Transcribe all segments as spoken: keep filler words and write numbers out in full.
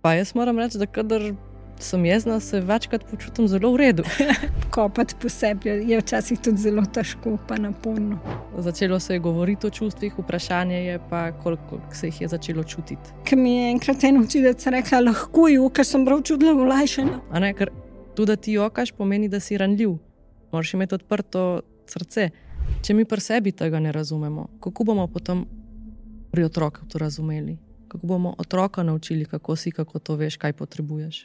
Pa jaz moram reči, da kadar sem jezna, se večkrat počutim zelo v redu. Kopati po sebi je včasih tudi zelo težko, pa naporno. Začelo se je govoriti o čustvih, vprašanje je pa, koliko se jih je začelo čutiti. Ko mi je enkrat ena učiteljica rekla, lahko ju, ker sem prav čutila olajšanja. A ne, ker tudi da ti jokaš, pomeni, da si ranljiv. Moraš imeti odprto srce. Če mi pri sebi tega ne razumemo, kako bomo potem pri otroku to razumeli? Kako bomo otroka naučili, kako si, kako to veš, kaj potrebuješ?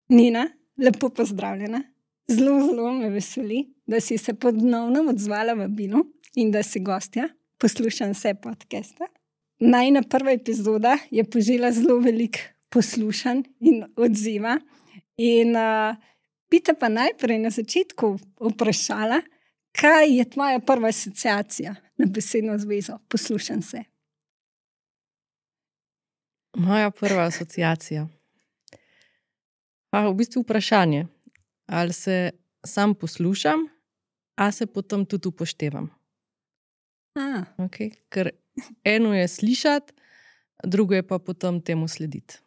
Nina, lepo pozdravljena. Zelo, zelo me veseli, da si se ponovno odzvala vabilu in da si gostja. Poslušam vse podcaste. Najina prva epizoda je požela zelo veliko poslušanj in odziva. In uh, bi te pa najprej na začetku vprašala, kaj je tvoja prva asociacija na besedno zvezo poslušam se? Moja prva asociacija. Pa v bistvu vprašanje, ali se sam poslušam, a se potem tudi upoštevam. A. Okay? Ker eno je slišati, drugo je pa potem temu slediti.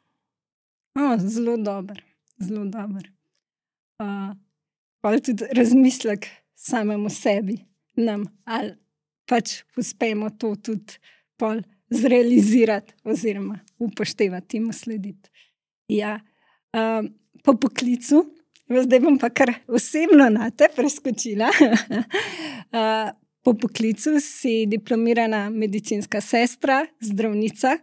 O, zelo dober, zelo dober. Uh, pa tudi razmislek samemu sebi, nam, ali pač uspemo to tudi pol zrealizirati oziroma upoštevati, temu slediti. Ja, um, po poklicu, zdaj bom pa kar osebno na te preskočila. uh, po poklicu si diplomirana medicinska sestra, zdravnica,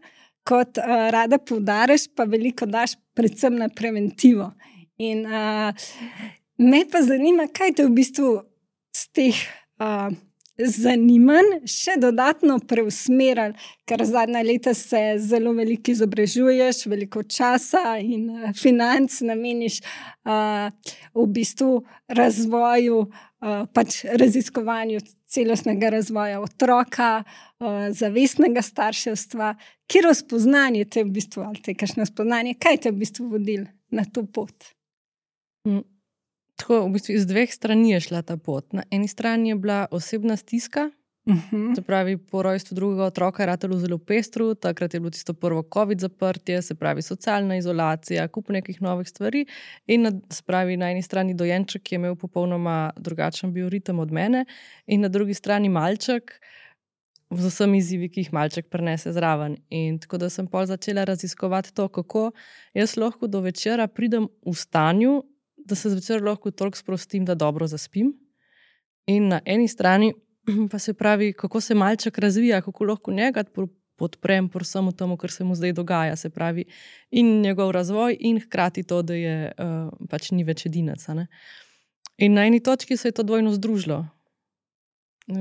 kot uh, rada poudariš, pa veliko daš predvsem na preventivo. In uh, me pa zanima, kaj te v bistvu z teh uh, zanimanj še dodatno preusmerili, ker zadnja leta se zelo veliko izobražuješ, veliko časa in uh, financ nameniš uh, v bistvu razvoju, uh, pač raziskovanju celostnega razvoja otroka, uh, zavestnega starševstva. Katero spoznanje te v bistvu, ali te kakšno spoznanje, kaj te v bistvu vodilo na to pot? Mm. Tako, v bistvu iz dveh strani je šla ta pot. Na eni strani je bila osebna stiska, uh-huh. se pravi, po rojstvu drugega otroka je ratalo zelo pestro, takrat je bilo tisto prvo COVID zaprtje, se pravi, socialna izolacija, kup nekih novih stvari in na, se pravi, na eni strani dojenček, ki je imel popolnoma drugačen bioritem od mene in na drugi strani malček z vsemi izzivi, ki jih malček prinese zraven. In tako da sem pol začela raziskovati to, kako jaz lahko do večera pridem v stanju, da se zvečer lahko toliko sprostim, da dobro zaspim. In na eni strani pa se pravi, kako se malček razvija, kako lahko njega podprem por samo tomu, kar se mu zdaj dogaja. Se pravi, in njegov razvoj in hkrati to, da je uh, pač ni več edinec. Ne? In na eni točki se je to dvojno združilo.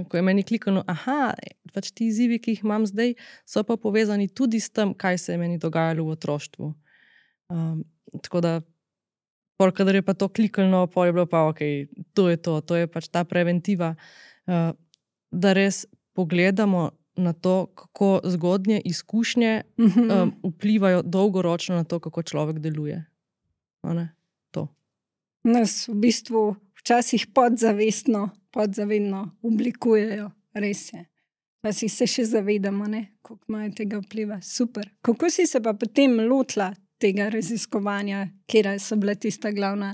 Ko je meni klikano, aha, pač ti izzivi, ki jih imam zdaj, so pa povezani tudi s tem, kaj se je meni dogajalo v otroštvu. Um, tako da Pol, kadar je pa to klikano, pol je bilo pa, ok, to je to, to je pač ta preventiva, uh, da res pogledamo na to, kako zgodnje izkušnje uh-huh. um, vplivajo dolgoročno na to, kako človek deluje. To. Nas v bistvu včasih podzavestno, podzavedno oblikujejo, res je. Včasih se še zavedamo, ne, koliko imajo tega vpliva. Super. Kako si se pa potem lotila tega raziskovanja, kjer so bila tista glavna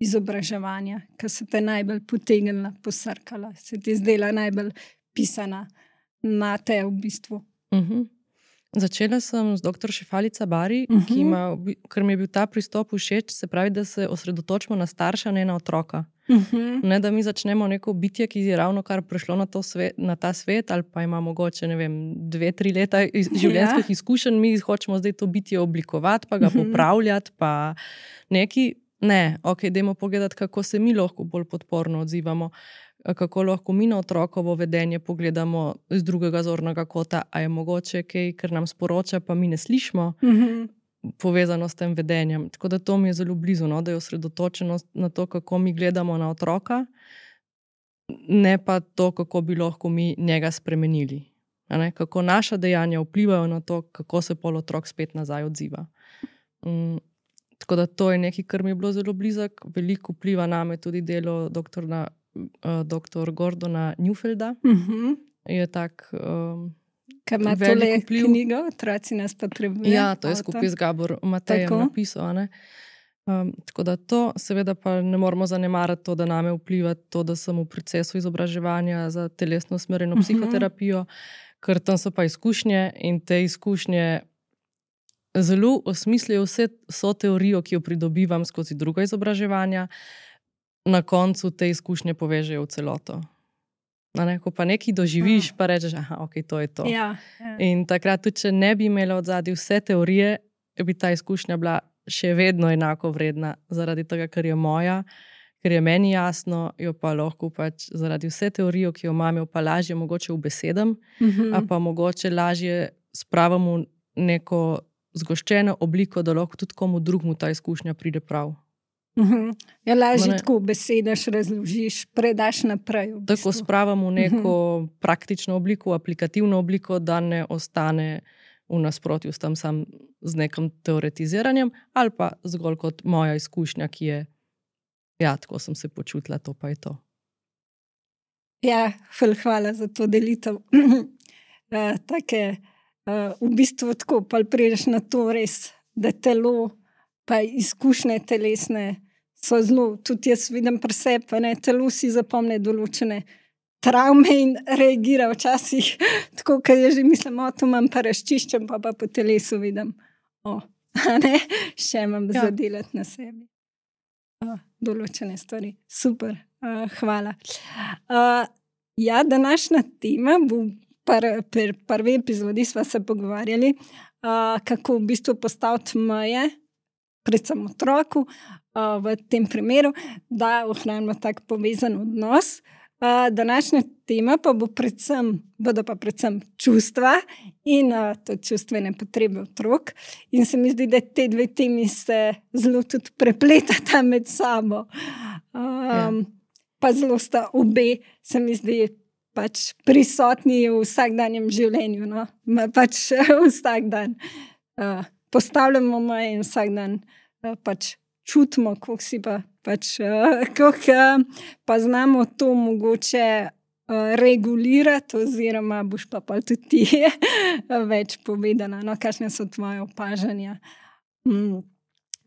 izobraževanja, ki so te najbolj potegnila, posrkala, se ti zdela najbolj pisana na te v bistvu? Uh-huh. Začela sem z doktor Šefalica Bari, uh-huh. ki ima, ker mi je bil ta pristop všeč, se pravi, da se osredotočimo na starša, ne na otroka. Uh-huh. Ne, da mi začnemo neko bitje, ki je ravno kar prišlo na, to svet, na ta svet, ali pa ima mogoče, ne vem, dve, tri leta iz, življenjskih ja. izkušenj, mi hočemo zdaj to bitje oblikovati, pa ga uh-huh. popravljati, pa neki, ne, ok, dajmo pogledati, kako se mi lahko bolj podporno odzivamo, kako lahko mi na otrokovo vedenje pogledamo z drugega zornega kota, a je mogoče kaj, ker nam sporoča, pa mi ne slišimo, uh-huh. povezano s tem vedenjem. Tako da to mi je zelo blizu, no? Da je osredotočenost na to, kako mi gledamo na otroka, ne pa to, kako bi lahko mi njega spremenili. Kako naša dejanja vplivajo na to, kako se pol otrok spet nazaj odziva. Um, tako da to je nekaj, kar mi je bilo zelo blizak. Veliko vpliva name tudi delo doktorja uh, doktor Gordona Newfelda. Uh-huh. Je tak um, Kaj ima tole knjigo, Otroci nas potrebujejo? Ja, to je skupaj z Gabor Matejem Tako. napisal. Ne? Um, tako da to, seveda pa ne moramo zanemariti to, da name vpliva to, da sem v procesu izobraževanja za telesno usmerjeno Mhm. psihoterapijo, ker tam so pa izkušnje in te izkušnje zelo osmislijo vse, vso teorijo, ki jo pridobivam skozi druga izobraževanja, na koncu te izkušnje povežejo v celoto. A ne, ko pa nekaj doživiš, pa rečeš, aha, ok, to je to. Ja, ja. In takrat tudi, če ne bi imela odzadaj vse teorije, bi ta izkušnja bila še vedno enako vredna, zaradi tega, ker je moja, ker je meni jasno, jo pa lahko pač zaradi vse teorijo, ki jo imam, jo pa lažje mogoče ubesedam, Mhm. a pa mogoče lažje spravim v neko zgoščeno obliko, da lahko tudi komu drugmu ta izkušnja pride prav. Mhm. Ja, lažje Ma ne- tako besedaš, razložiš, predaš naprej. v Tako bistvu. spravim v neko praktično obliko, aplikativno obliko, da ne ostane v nasprotju s tem sam z nekim teoretiziranjem, ali pa zgolj kot moja izkušnja, ki je, ja, tako sem se počutila, to pa je to. Ja, ful, hvala za to delitev. uh, take, uh, v bistvu tako, pa prideš na to res, da telo pa izkušnje telesne so zelo, tudi jaz vidim pri sebi, a ne, telo si zapomne določene travme in reagira včasih tako, ker je že mislim, o, to imam pa razčiščem, pa pa po telesu vidim, o, a ne, še imam Ja. ja. zadelati na sebi. Uh, določene stvari. Super, uh, hvala. Uh, ja, današnja tema bo pri pr, prvi epizodi sva se pogovarjali, uh, kako v bistvu postaviti meje, predvsem otroku, uh, v tem primeru, da ohranimo tak povezan odnos. Uh, današnja tema pa bo predvsem, bodo pa predvsem čustva in uh, to čustvene potrebe otrok. In se mi zdi, da te dve temi se zelo tudi prepletata med sabo. Um, Ja. Pa zelo sta obe, se mi zdi, pač prisotni v vsakdanjem življenju. No? Ma pač vsak dan uh, postavljamo meje in vsak dan uh, pač čutimo, koliko si pa pač, uh, koliko uh, pa znamo to mogoče uh, regulirati, oziroma boš pa pol tudi ti več povedala, no, kakšne so tvoje opažanja. Mm.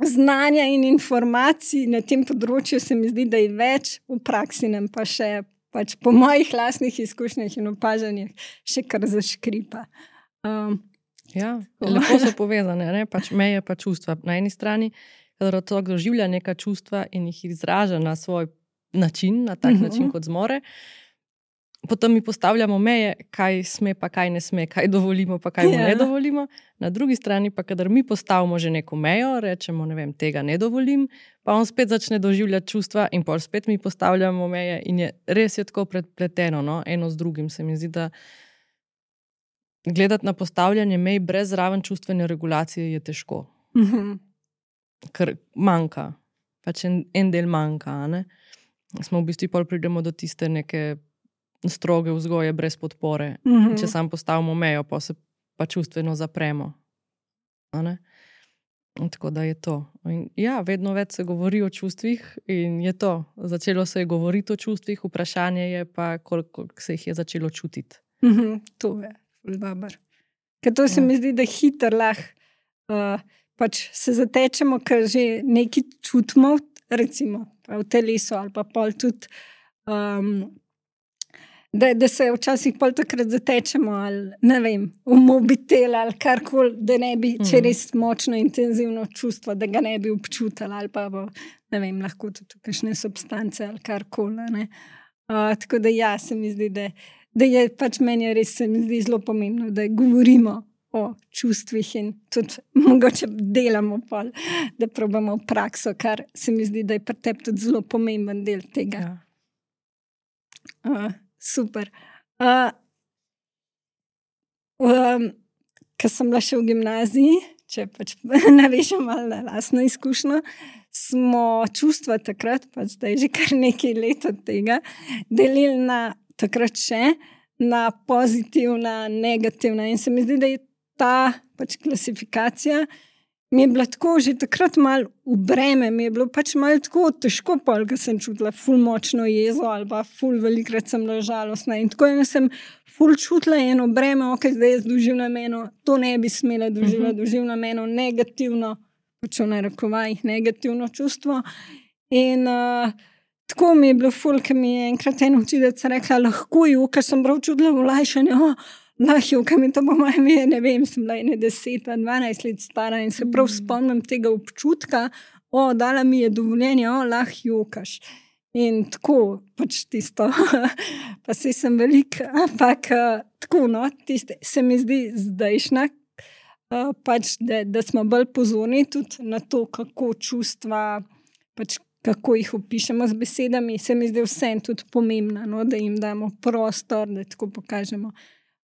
Znanja in informacij na tem področju se mi zdi, da je več, v praksi nam pa še pač po mojih lastnih izkušnjah in opažanjih še kar zaškripa. Um, Ja, lepo so povezane, ne? Pač meje pa čustva. Na eni strani, kadar otrok doživlja neka čustva in jih izraža na svoj način, na tak Mhm. način, kot zmore, potem mi postavljamo meje, kaj sme, pa kaj ne sme, kaj dovolimo, pa kaj mu Ja. ne dovolimo. Na drugi strani pa, kadar mi postavimo že neko mejo, rečemo, ne vem, tega ne dovolim, pa on spet začne doživljati čustva in pol spet mi postavljamo meje in je res je tako predpleteno, no? Eno z drugim. Se mi zdi, da gledati na postavljanje mej brez zraven čustvene regulacije je težko, mhm. ker manjka, pač en, en del manjka. a Ne? Smo v bistvu pol pridemo do tiste neke stroge vzgoje brez podpore. Mhm. Če sam postavimo mejo, pa se pa čustveno zapremo. A ne? In tako da je to. In ja, vedno več se govori o čustvih in je to. Začelo se je govoriti o čustvih, vprašanje je pa, koliko se jih je začelo čutiti. Mhm, to je ful dobro. Ker to se Ja. mi zdi, da hitro lahko uh, pač se zatečemo, ker že nekaj čutimo, recimo pa v telesu ali pa pol tudi, um, da, da se včasih pol takrat zatečemo ali ne vem, v mobitel ali karkoli, da ne bi, če Mhm. res močno intenzivno čustvo, da ga ne bi občutili ali pa bo, ne vem, lahko tudi kakšne substance ali karkoli, a ne. Uh, tako da ja, se mi zdi, da da je pač meni je res se mi zdi zelo pomembno, da govorimo o čustvih in tudi mogoče delamo pol, da probamo v prakso, kar se mi zdi, da je pri tebi tudi zelo pomemben del tega. Ja. Uh, super. Uh, um, Ko sem bila še v gimnaziji, če pač navežem malo na lastno izkušnjo, smo čustva takrat, pa zdaj že kar nekaj let od tega, delili na takrat še na pozitivna, negativna. In se mi zdi, da je ta pač klasifikacija mi je bilo tako že takrat malo v breme, mi je bilo pač malo tako težko pol, ker sem čutila ful močno jezo ali pa ful velikrat sem bila žalostna in tako in sem ful čutila eno breme, ok, zdaj jaz doživljam eno, to ne bi smela doživljati, uh-huh. doživljam eno negativno, pač v narekovajih negativno čustvo in uh, tako mi je bilo ful, ker mi je enkrat en učiteljica rekla, lahko ju, ker sem prav čutila vlajšanje, oh, lahko, ker mi to po mojem je, ne vem, sem bila ene deset, dvanajst let stara in se prav spomnim tega občutka, o, dala mi je dovoljenje, o, lahko jokaš. In tako, pač tisto, pa se sem velik, ampak tako, no, tiste, se mi zdi zdajšnja, pač, da, da smo bolj pozorni tudi na to, kako čustva, pač kako jih opišemo z besedami, se mi zdi vsem tudi pomembno, no, da jim damo prostor, da tako pokažemo.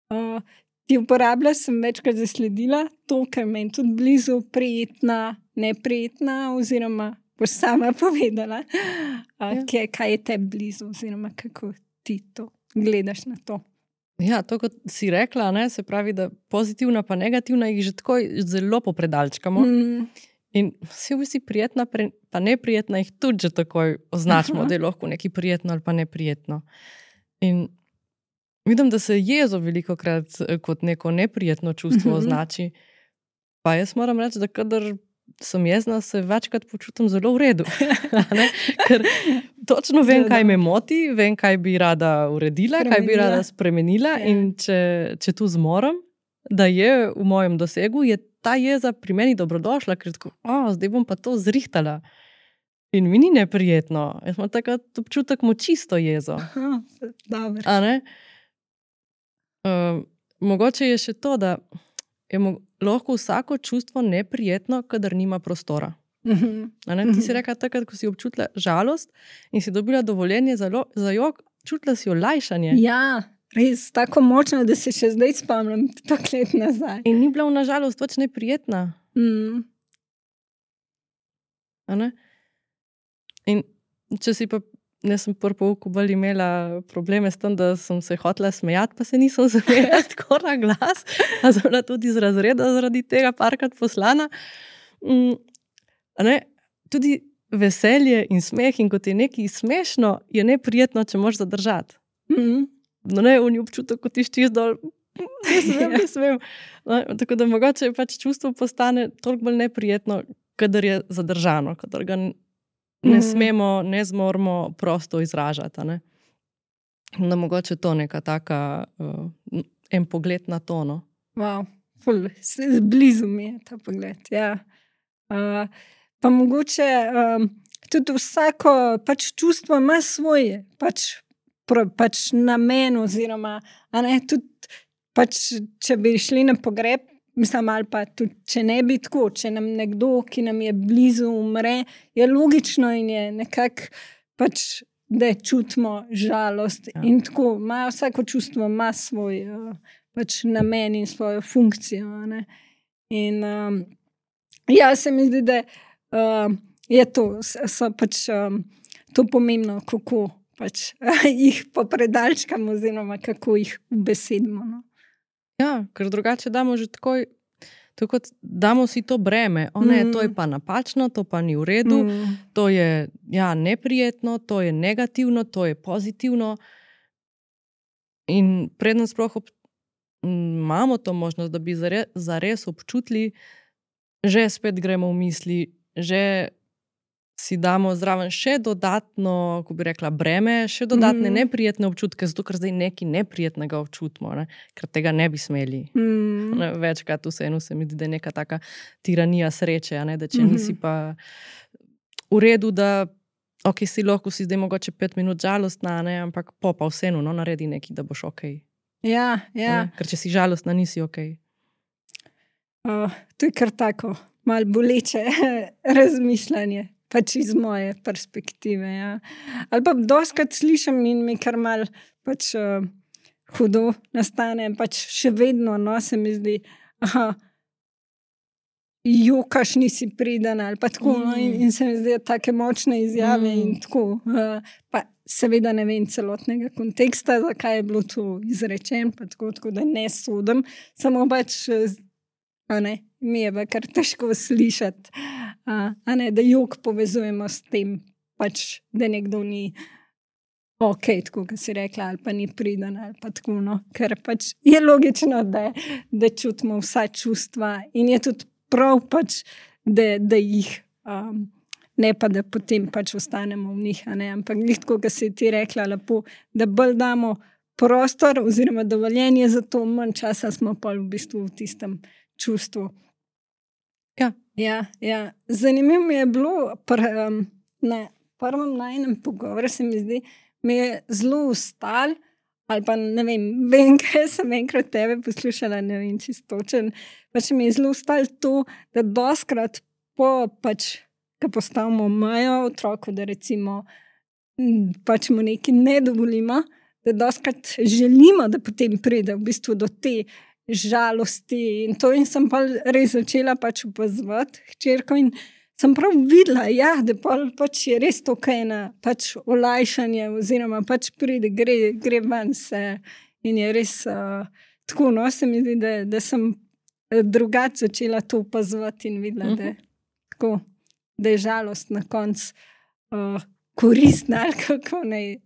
Uh, ti uporablja sem večkrat zasledila to, kar meni tudi blizu prijetna, neprijetna oziroma boš sama povedala, uh, ja. kaj, kaj je te blizu oziroma kako ti to gledaš na to. Ja, to kot si rekla, ne, se pravi, da pozitivna pa negativna jih že tako zelo popredalčkamo mm. in vsi v bistvu prijetna pa neprijetna jih tudi že takoj označimo, Aha. da je lahko nekaj prijetno ali pa neprijetno. In vidim, da se jezo veliko krat kot neko neprijetno čustvo uh-huh. označi. Pa jaz moram reči, da kadar sem jezna, se večkrat počutim zelo v redu. Ker točno vem, kaj me moti, vem, kaj bi rada uredila, spremenila. Kaj bi rada spremenila ja. In če, če tu zmoram, da je v mojem dosegu, je ta jeza pri meni dobrodošla, ker tako, o, zdaj bom pa to zrihtala. In mi ni neprijetno. Jaz imam takrat občutek močisto jezo. Aha, dobro. A ne? Uh, mogoče je še to, da je mo- lahko vsako čustvo neprijetno, kadar nima prostora. Uh-huh. Ti si rekla takrat, ko si občutila žalost in si dobila dovoljenje za, lo- za jok, čutila si olajšanje. Ja, res tako močno, da se še zdaj spomnim, tako let nazaj. In ni bila na žalost več neprijetna. Mm. A ne? In če si pa ne sem prvi pouku bolj imela probleme s tem, da sem se hotela smejati, pa se nisem smejala tako na glas, a sem bila tudi iz razreda zaradi tega parkrat poslana. Mm, ne? Tudi veselje in smeh in kot je nekaj smešno, je neprijetno, če moraš zadržati. Mm. No ne, on je občutek, kot ti štis dol, ne smem, ne smem. No, tako da mogoče pač čustvo postane toliko bolj neprijetno, kadar je zadržano, kadar ga ne smemo, ne zmoremo prosto izražati. Ne? Da mogoče to neka taka, uh, en pogled na to. No? Wow, ful, blizu mi je ta pogled, ja. Uh, pa mogoče um, tudi vsako pač čustvo ima svoje, pač, pro, pač namen oziroma, a ne, tudi pač, če bi šli na pogreb, mislim, ali pa tudi, če ne bi tako, če nam nekdo, ki nam je blizu, umre, je logično in je nekako pač, da čutimo žalost. Ja. In tako, ima, vsako čustvo ima svoj pač, namen in svojo funkcijo. Ne? In um, ja, se mi zdi, da um, je to, so pač um, to pomembno, kako pač jih popredalčkamo oziroma kako jih ubesedimo. No? Ja, ker drugače damo že takoj, tako damo si to breme. O ne, mm. to je pa napačno, to pa ni v redu, mm. to je ja, neprijetno, to je negativno, to je pozitivno. In predno sploh ob, imamo to možnost, da bi zare, zares občutili, že spet gremo v misli, že si damo zraven še dodatno, ko bi rekla, breme, še dodatne mm. neprijetne občutke, zato ker zdaj nekaj neprijetnega občutimo, ne? Ker tega ne bi smeli. Mm. Ne, večkrat vseeno se mi zdi, da je neka taka tiranija sreče, ne? Da če mm-hmm. nisi pa v redu, da ok, si lahko si zdaj mogoče pet minut žalostna, ne? Ampak po pa vseeno no, naredi nekaj, da boš ok. Ja, ja. Ker če si žalostna, nisi ok. Uh, to je kar tako, malo boleče razmišljanje. Pač iz moje perspektive, ja. Ali pa doskrat slišam in mi kar mal pač uh, hudo nastane, pač še vedno, no, se mi zdi, aha, jokaš nisi priden, ali pa tako, mm. no, in, in se mi zdi take močne izjave mm. in tako. Uh, pa seveda ne vem celotnega konteksta, zakaj je bilo to izrečen, pa tako, tako da ne sodim, samo pač a ne, mi je pa kar težko slišati, a, a ne, da jok povezujemo s tem, pač, da nekdo ni ok, tako kot si rekla, ali pa ni priden, ali pa tako, no, ker pač je logično, da, da čutimo vsa čustva in je tudi prav pač, da, da jih, um, ne pa da potem pač ostanemo v njih, a ne, ampak glih tako, kot si ti rekla lepo, da bolj damo prostor oziroma dovoljenje za to, manj časa smo pa v bistvu v tistem čustvu. Ja. Ja, ja. Zanimivo mi je bilo, pr, um, na prvem najnem pogovoru se mi zdi, mi je zelo ustal, ali pa ne vem, vem, kaj sem enkrat tebe poslušala, ne vem, čistočen, pač mi je zelo ustal to, da doskrat po, pač, ko postavimo mejo otroku, da recimo pač mu nekaj ne dovolimo, da doskrat želimo, da potem pride v bistvu do te žalosti in to in sem pa res začela pač opazovati hčerko in sem prav videla, ja, da pač je res to kaj na pač olajšanje oziroma pač pride, gre, gre ven se in je res uh, tako, no, se mi zdi, da, da sem drugače začela to opazovati in videla, uh-huh. da, tako, da je žalost na koncu uh, koristna, ali kako naj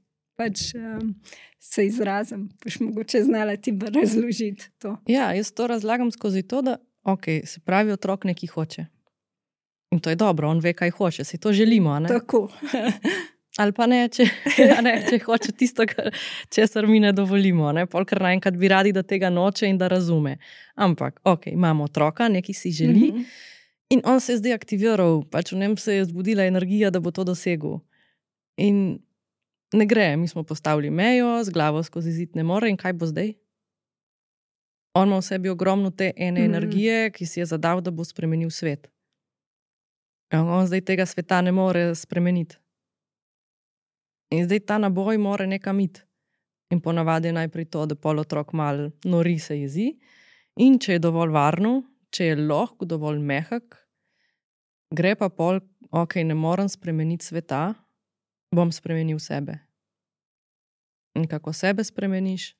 pač um, se izrazim. Pač mogoče znala ti bi razložiti to. Ja, jaz to razlagam skozi to, da ok, se pravi, otrok nekaj hoče. In to je dobro, on ve, kaj hoče, si to želimo, ne? Tako. Ali pa ne, če, ne, če hoče tisto, česar mi ne dovolimo, ne? Polkar naenkrat bi radi, da tega noče in da razume. Ampak, ok, imamo otroka, nekaj si želi, mm-hmm. in on se je zdaj aktiviral, pač v njem se je zbudila energija, da bo to dosegel. In ne gre, mi smo postavili mejo, z glavo skozi zid ne more in kaj bo zdaj? On ima v sebi ogromno te ene mm-hmm. energije, ki si je zadal, da bo spremenil svet. On zdaj tega sveta ne more spremeniti. In zdaj ta naboj mora nekam iti. In ponavadi je najprej to, da pol otrok mal nori se jezi in če je dovolj varno, če je lahko dovolj mehak, gre pa pol, ok, ne morem spremeniti sveta, bom spremenil sebe. In kako sebe spremeniš?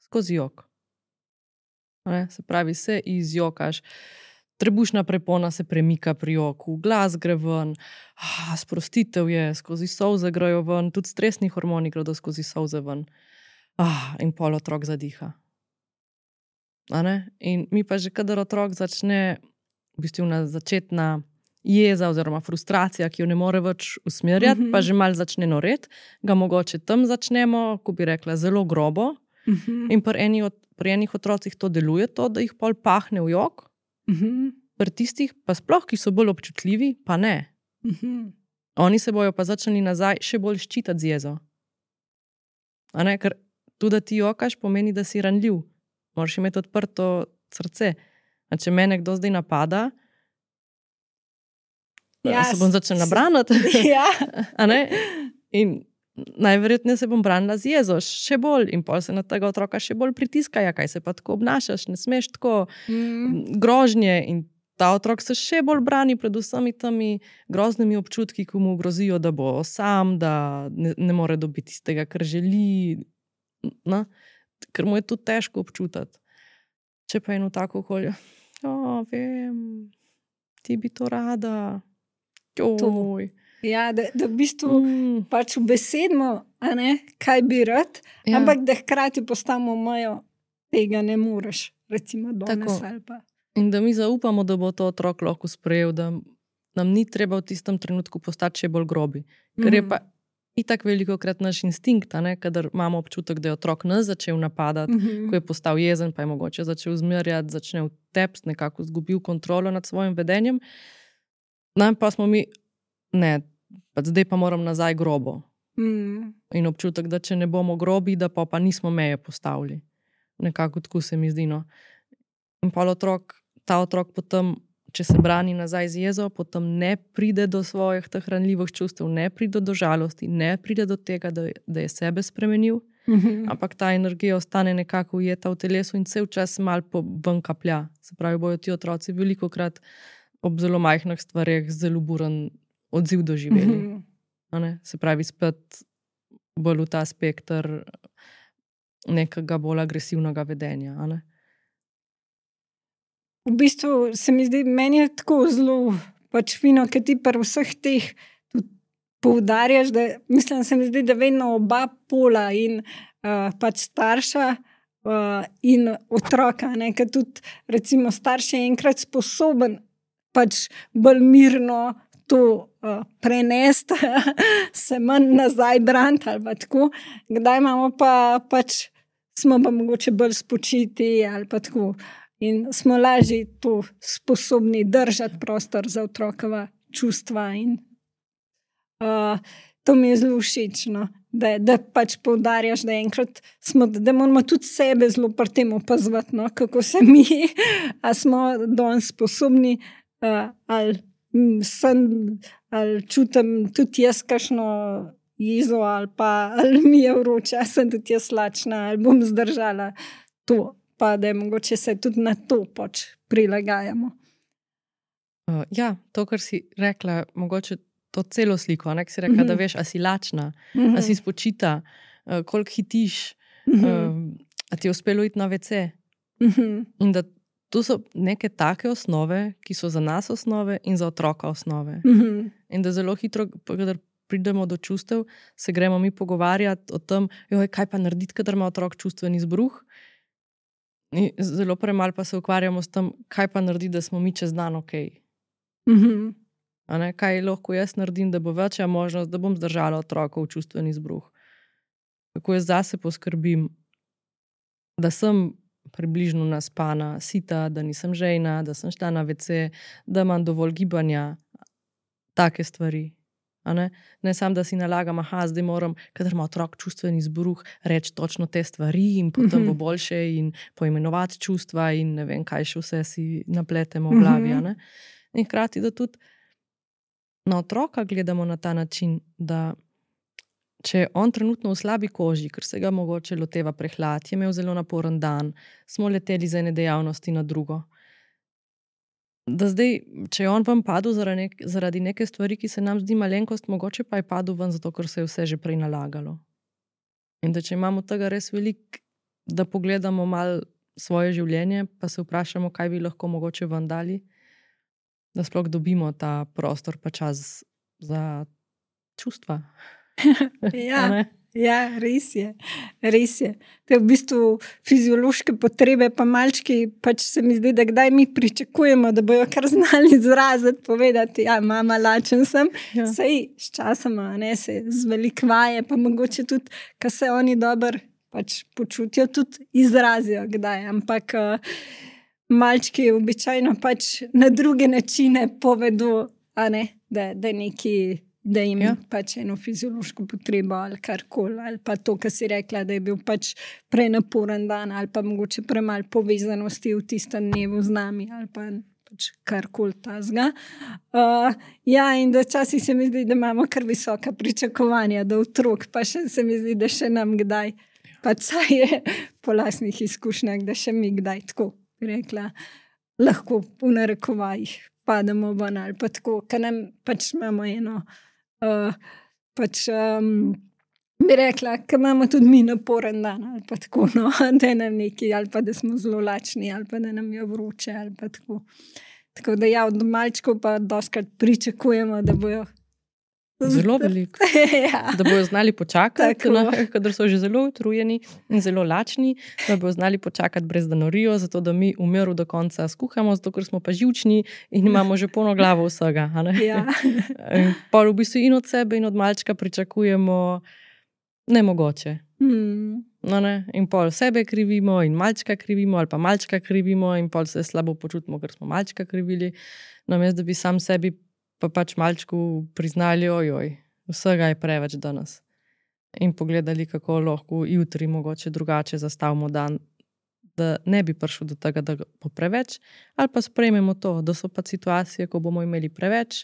Skozi jok. Ne? Se pravi, se izjokaš, trebušna prepona se premika pri joku, glas gre ven, ah, sprostitev je, skozi solze grejo ven, tudi stresni hormoni gredo skozi solze ven. Ah, in pol otrok zadiha. A ne? In mi pa že kadar otrok začne, v bistvu na začetna jeza oziroma frustracija, ki jo ne more več usmerjati, mm-hmm. pa že malo začne noreti, ga mogoče tam začnemo, ko bi rekla, zelo grobo. Mm-hmm. In pri, eni od, pri enih otrocih to deluje, to, da jih pol pahne v jok, mm-hmm. pri tistih pa sploh, ki so bolj občutljivi, pa ne. Mm-hmm. Oni se bojo pa začeli nazaj še bolj ščitati z jezo. A ne, ker tudi, da ti jokaš, pomeni, da si ranljiv. Moraš imeti odprto srce. A če me nekdo zdaj napada, ja, se bom začela braniti. Ja. A ne? In najverjetneje se bom branila z jezo, še bolj. In pol se na tega otroka še bolj pritiskajo, kaj se pa tako obnašaš, ne smeš tako mm. grožnje. In ta otrok se še bolj brani pred vsemi temi groznimi občutki, ki mu grozijo, da bo sam, da ne, ne more dobiti iz tega, kar želi. Na? Ker mu je tudi težko občutati. Če pa eno tako okolje, o, vem, ti bi to rada. Oj. Ja, da, da v bistvu mm. pač ubesedimo, a ne, kaj bi rad, ja. Ampak da hkrati postavimo mejo, tega ne moreš, recimo danes ali pa. In da mi zaupamo, da bo to otrok lahko sprejel, da nam ni treba v tistem trenutku postati še bolj grobi. Ker mm. je pa itak velikokrat naš instinkt, a ne, kadar imamo občutek, da je otrok nas začel napadati, mm-hmm. ko je postal jezen, pa je mogoče začel zmerjati, začne vtepst, nekako zgubil kontrolo nad svojim vedenjem. No, pa smo mi, ne, pa zdaj pa moram nazaj grobo. Mm. In občutek, da če ne bomo grobi, da pa, pa nismo meje postavili. Nekako tako se mi zdi, no. In pa otrok, ta otrok potem, če se brani nazaj z jezo, potem ne pride do svojih teh ranljivih čustev, ne pride do žalosti, ne pride do tega, da, da je sebe spremenil, mm-hmm. ampak ta energija ostane nekako ujeta v telesu in cel čas malo ven kaplja. Se pravi, bojo ti otroci velikokrat ob zelo majhnih stvareh zelo buren odziv doživeli. Mm-hmm. Se pravi, spet bolj v ta spekter nekega bolj agresivnega vedenja. A ne? v bistvu se mi zdi, meni je tako zelo pač fino, ker ti pri vseh teh tudi poudarjaš, da mislim, se mi zdi, da vedno oba pola in uh, pač starša uh, in otroka, ne, ker tudi recimo starš je enkrat sposoben pač bolj mirno to uh, prenesti, se manj nazaj braniti ali pa tako, kdaj imamo pa pač smo pa mogoče bolj spočiti ali pa tako. In smo lažje to sposobni držati prostor za otrokova čustva. In, uh, to mi je zelo všeč, no? da, da pač poudarjaš, da, enkrat smo, da moramo tudi sebe zelo pri tem opazovati, no? Kako se mi, a smo danes sposobni, uh, ali, sem, ali čutim tudi jaz kakšno jezo, ali pa ali mi je vroče, sem tudi jaz lačna, ali bom zdržala to. Pa da je mogoče se tudi na to pač prilagajamo. Uh, ja, to, kar si rekla, mogoče to celo sliko, ne, ki si rekla, mm-hmm. da veš, a si lačna, mm-hmm. a si spočita, uh, koliko hitiš, mm-hmm. uh, a ti je uspelo iti na ve ce. Mm-hmm. In da to so neke take osnove, ki so za nas osnove in za otroka osnove. Mm-hmm. In da zelo hitro, kadar pridemo do čustev, se gremo mi pogovarjati o tem, joj, kaj pa narediti, kadar ima otrok čustveni izbruh. In zelo premalo pa se ukvarjamo s tem, kaj pa naredi, da smo mi čez dan ok. Mm-hmm. A ne, kaj lahko jaz naredim, da bo večja možnost, da bom zdržala otrokov čustveni izbruh. Kako jaz zase poskrbim, da sem približno naspana, sita, da nisem žejna, da sem šla na ve ce, da imam dovolj gibanja, take stvari. A ne? Ne sam, da si nalagam, aha, zdaj moram, kadar ima otrok čustveni izbruh, reči točno te stvari in potem mm-hmm. bo boljše in poimenovati čustva in ne vem, kaj še vse si napletemo v glavi. Mm-hmm. A ne? In hkrati, da tudi na otroka gledamo na ta način, da če je on trenutno v slabi koži, ker se ga mogoče loteva prehlad, je imel zelo naporen dan, smo leteli z ene dejavnosti na drugo. Da zdaj, če je on vam padel zaradi, nek, zaradi neke stvari, ki se nam zdi malenkost, mogoče pa je padel ven zato, ker se je vse že prej nalagalo. In da če imamo tega res veliko, da pogledamo malo svoje življenje, pa se vprašamo, kaj bi lahko mogoče ven dali, da sploh dobimo ta prostor pa čas za čustva. Ja. Ja, res je, res je. Te v bistvu fiziološke potrebe, pa malčki, pač se mi zdi, da kdaj mi pričakujemo, da bojo kar znali izraziti, povedati, ja, mama, lačen sem. Ja. Sej s časoma, ne, se zvelikvaje, pa mogoče tudi, ko se oni dobro pač počutijo, tudi izrazijo kdaj. Ampak uh, malčki običajno pač na druge načine povedo, a ne, da, da neki da jim ja. pač eno fiziološko potrebo ali karkoli, ali pa to, kar si rekla, da je bil pač prenaporen dan ali pa mogoče premalo povezanosti v tistem dnevu z nami ali pa pač karkoli tazga. Uh, ja, in da časih se mi zdi, da imamo kar visoka pričakovanja do otrok, pa še se mi zdi, da še nam kdaj, pač saj je po lastnih izkušnjah, da še mi kdaj tako rekla, lahko v narekovajih pademo ven ali pa tako, ker nam pač imamo eno Uh, pač um, bi rekla, ker imamo tudi mi naporen dan ali pa tako, no, da je nam neki, ali pa da smo zelo lačni, ali pa da nam je vroče, ali pa tako. Tako da ja, od malčkov pa doskrat pričakujemo, da bojo zelo veliko. Ja. Da bojo znali počakati, kadar so že zelo utrujeni in zelo lačni, da bojo znali počakati brez da norijo, zato da mi v miru do konca skuhamo, zato ker smo pa živčni in imamo že polno glavo vsega. A ne? Ja. Pa v bistvu in od sebe in od malčka pričakujemo nemogoče. Hmm. No, ne? In pol sebe krivimo in malčka krivimo ali pa malčka krivimo in pol se slabo počutimo, ker smo malčka krivili. Namesto da bi sam sebi pa pač malčku priznali, ojoj, vsega je preveč danes. In pogledali, kako lahko jutri mogoče drugače zastavimo dan, da ne bi prišel do tega, da bo preveč, ali pa sprejmemo to, da so pa situacije, ko bomo imeli preveč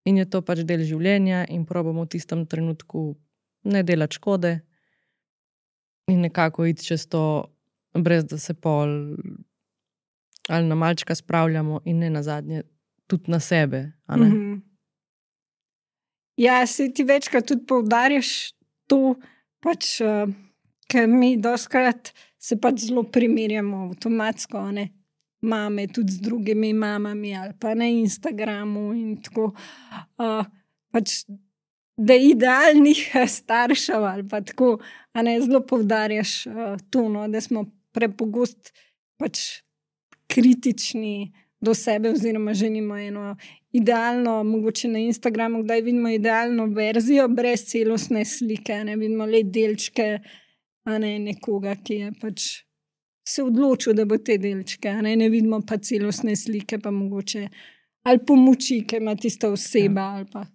in je to pač del življenja in probamo v tistem trenutku ne delati škode in nekako iti čez to, brez da se pol ali na malčka spravljamo in ne nazadnje tudi na sebe. A ne? Mm-hmm. Ja, se ti večkrat tudi poudarjaš to, pač, uh, ker mi doskrat se pač zelo primerjamo avtomatsko, ne? mame tudi z drugimi mamami ali pa na Instagramu in tako. Uh, pač, da idealnih staršev ali pa tako, a ne zelo poudarjaš uh, to, no, da smo prepogost pač kritični do sebe oziroma želimo eno idealno, mogoče na Instagramu, kdaj vidimo idealno verzijo brez celostne slike, ne vidimo le delčke, a ne nekoga, ki je pač se odločil, da bo te delčke, a ne, ne vidimo pa celostne slike, pa mogoče ali pomoči, ki ima tista oseba, ja. Ali pa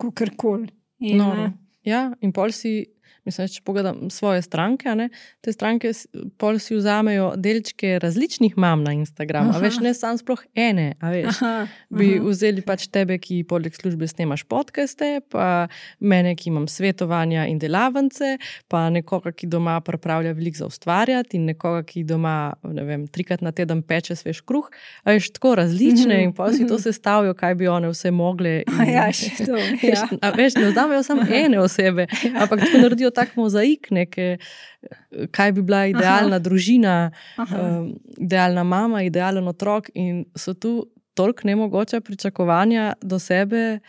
kakorkoli. No, ja, in pol si, mislim, če pogledam svoje stranke, a ne, te stranke pol si vzamejo delčke različnih mam na Instagramu, a veš, ne sam sploh ene, a veš, aha, bi aha. Vzeli pač tebe, ki poleg službe snemaš podcaste, pa mene, ki imam svetovanja in delavnice, pa nekoga, ki doma pripravlja veliko za ustvarjati in nekoga, ki doma, ne vem, trikrat na teden peče svež kruh, a veš, tako različne in pol si to sestavijo, kaj bi one vse mogle. In, ja, še to, ja. A veš, ne vzamejo samo ene osebe, ampak tako naredijo tak mozaik, neke, kaj bi bila idealna aha. Družina, um, idealna mama, idealen otrok in so tu toliko nemogoče pričakovanja do sebe,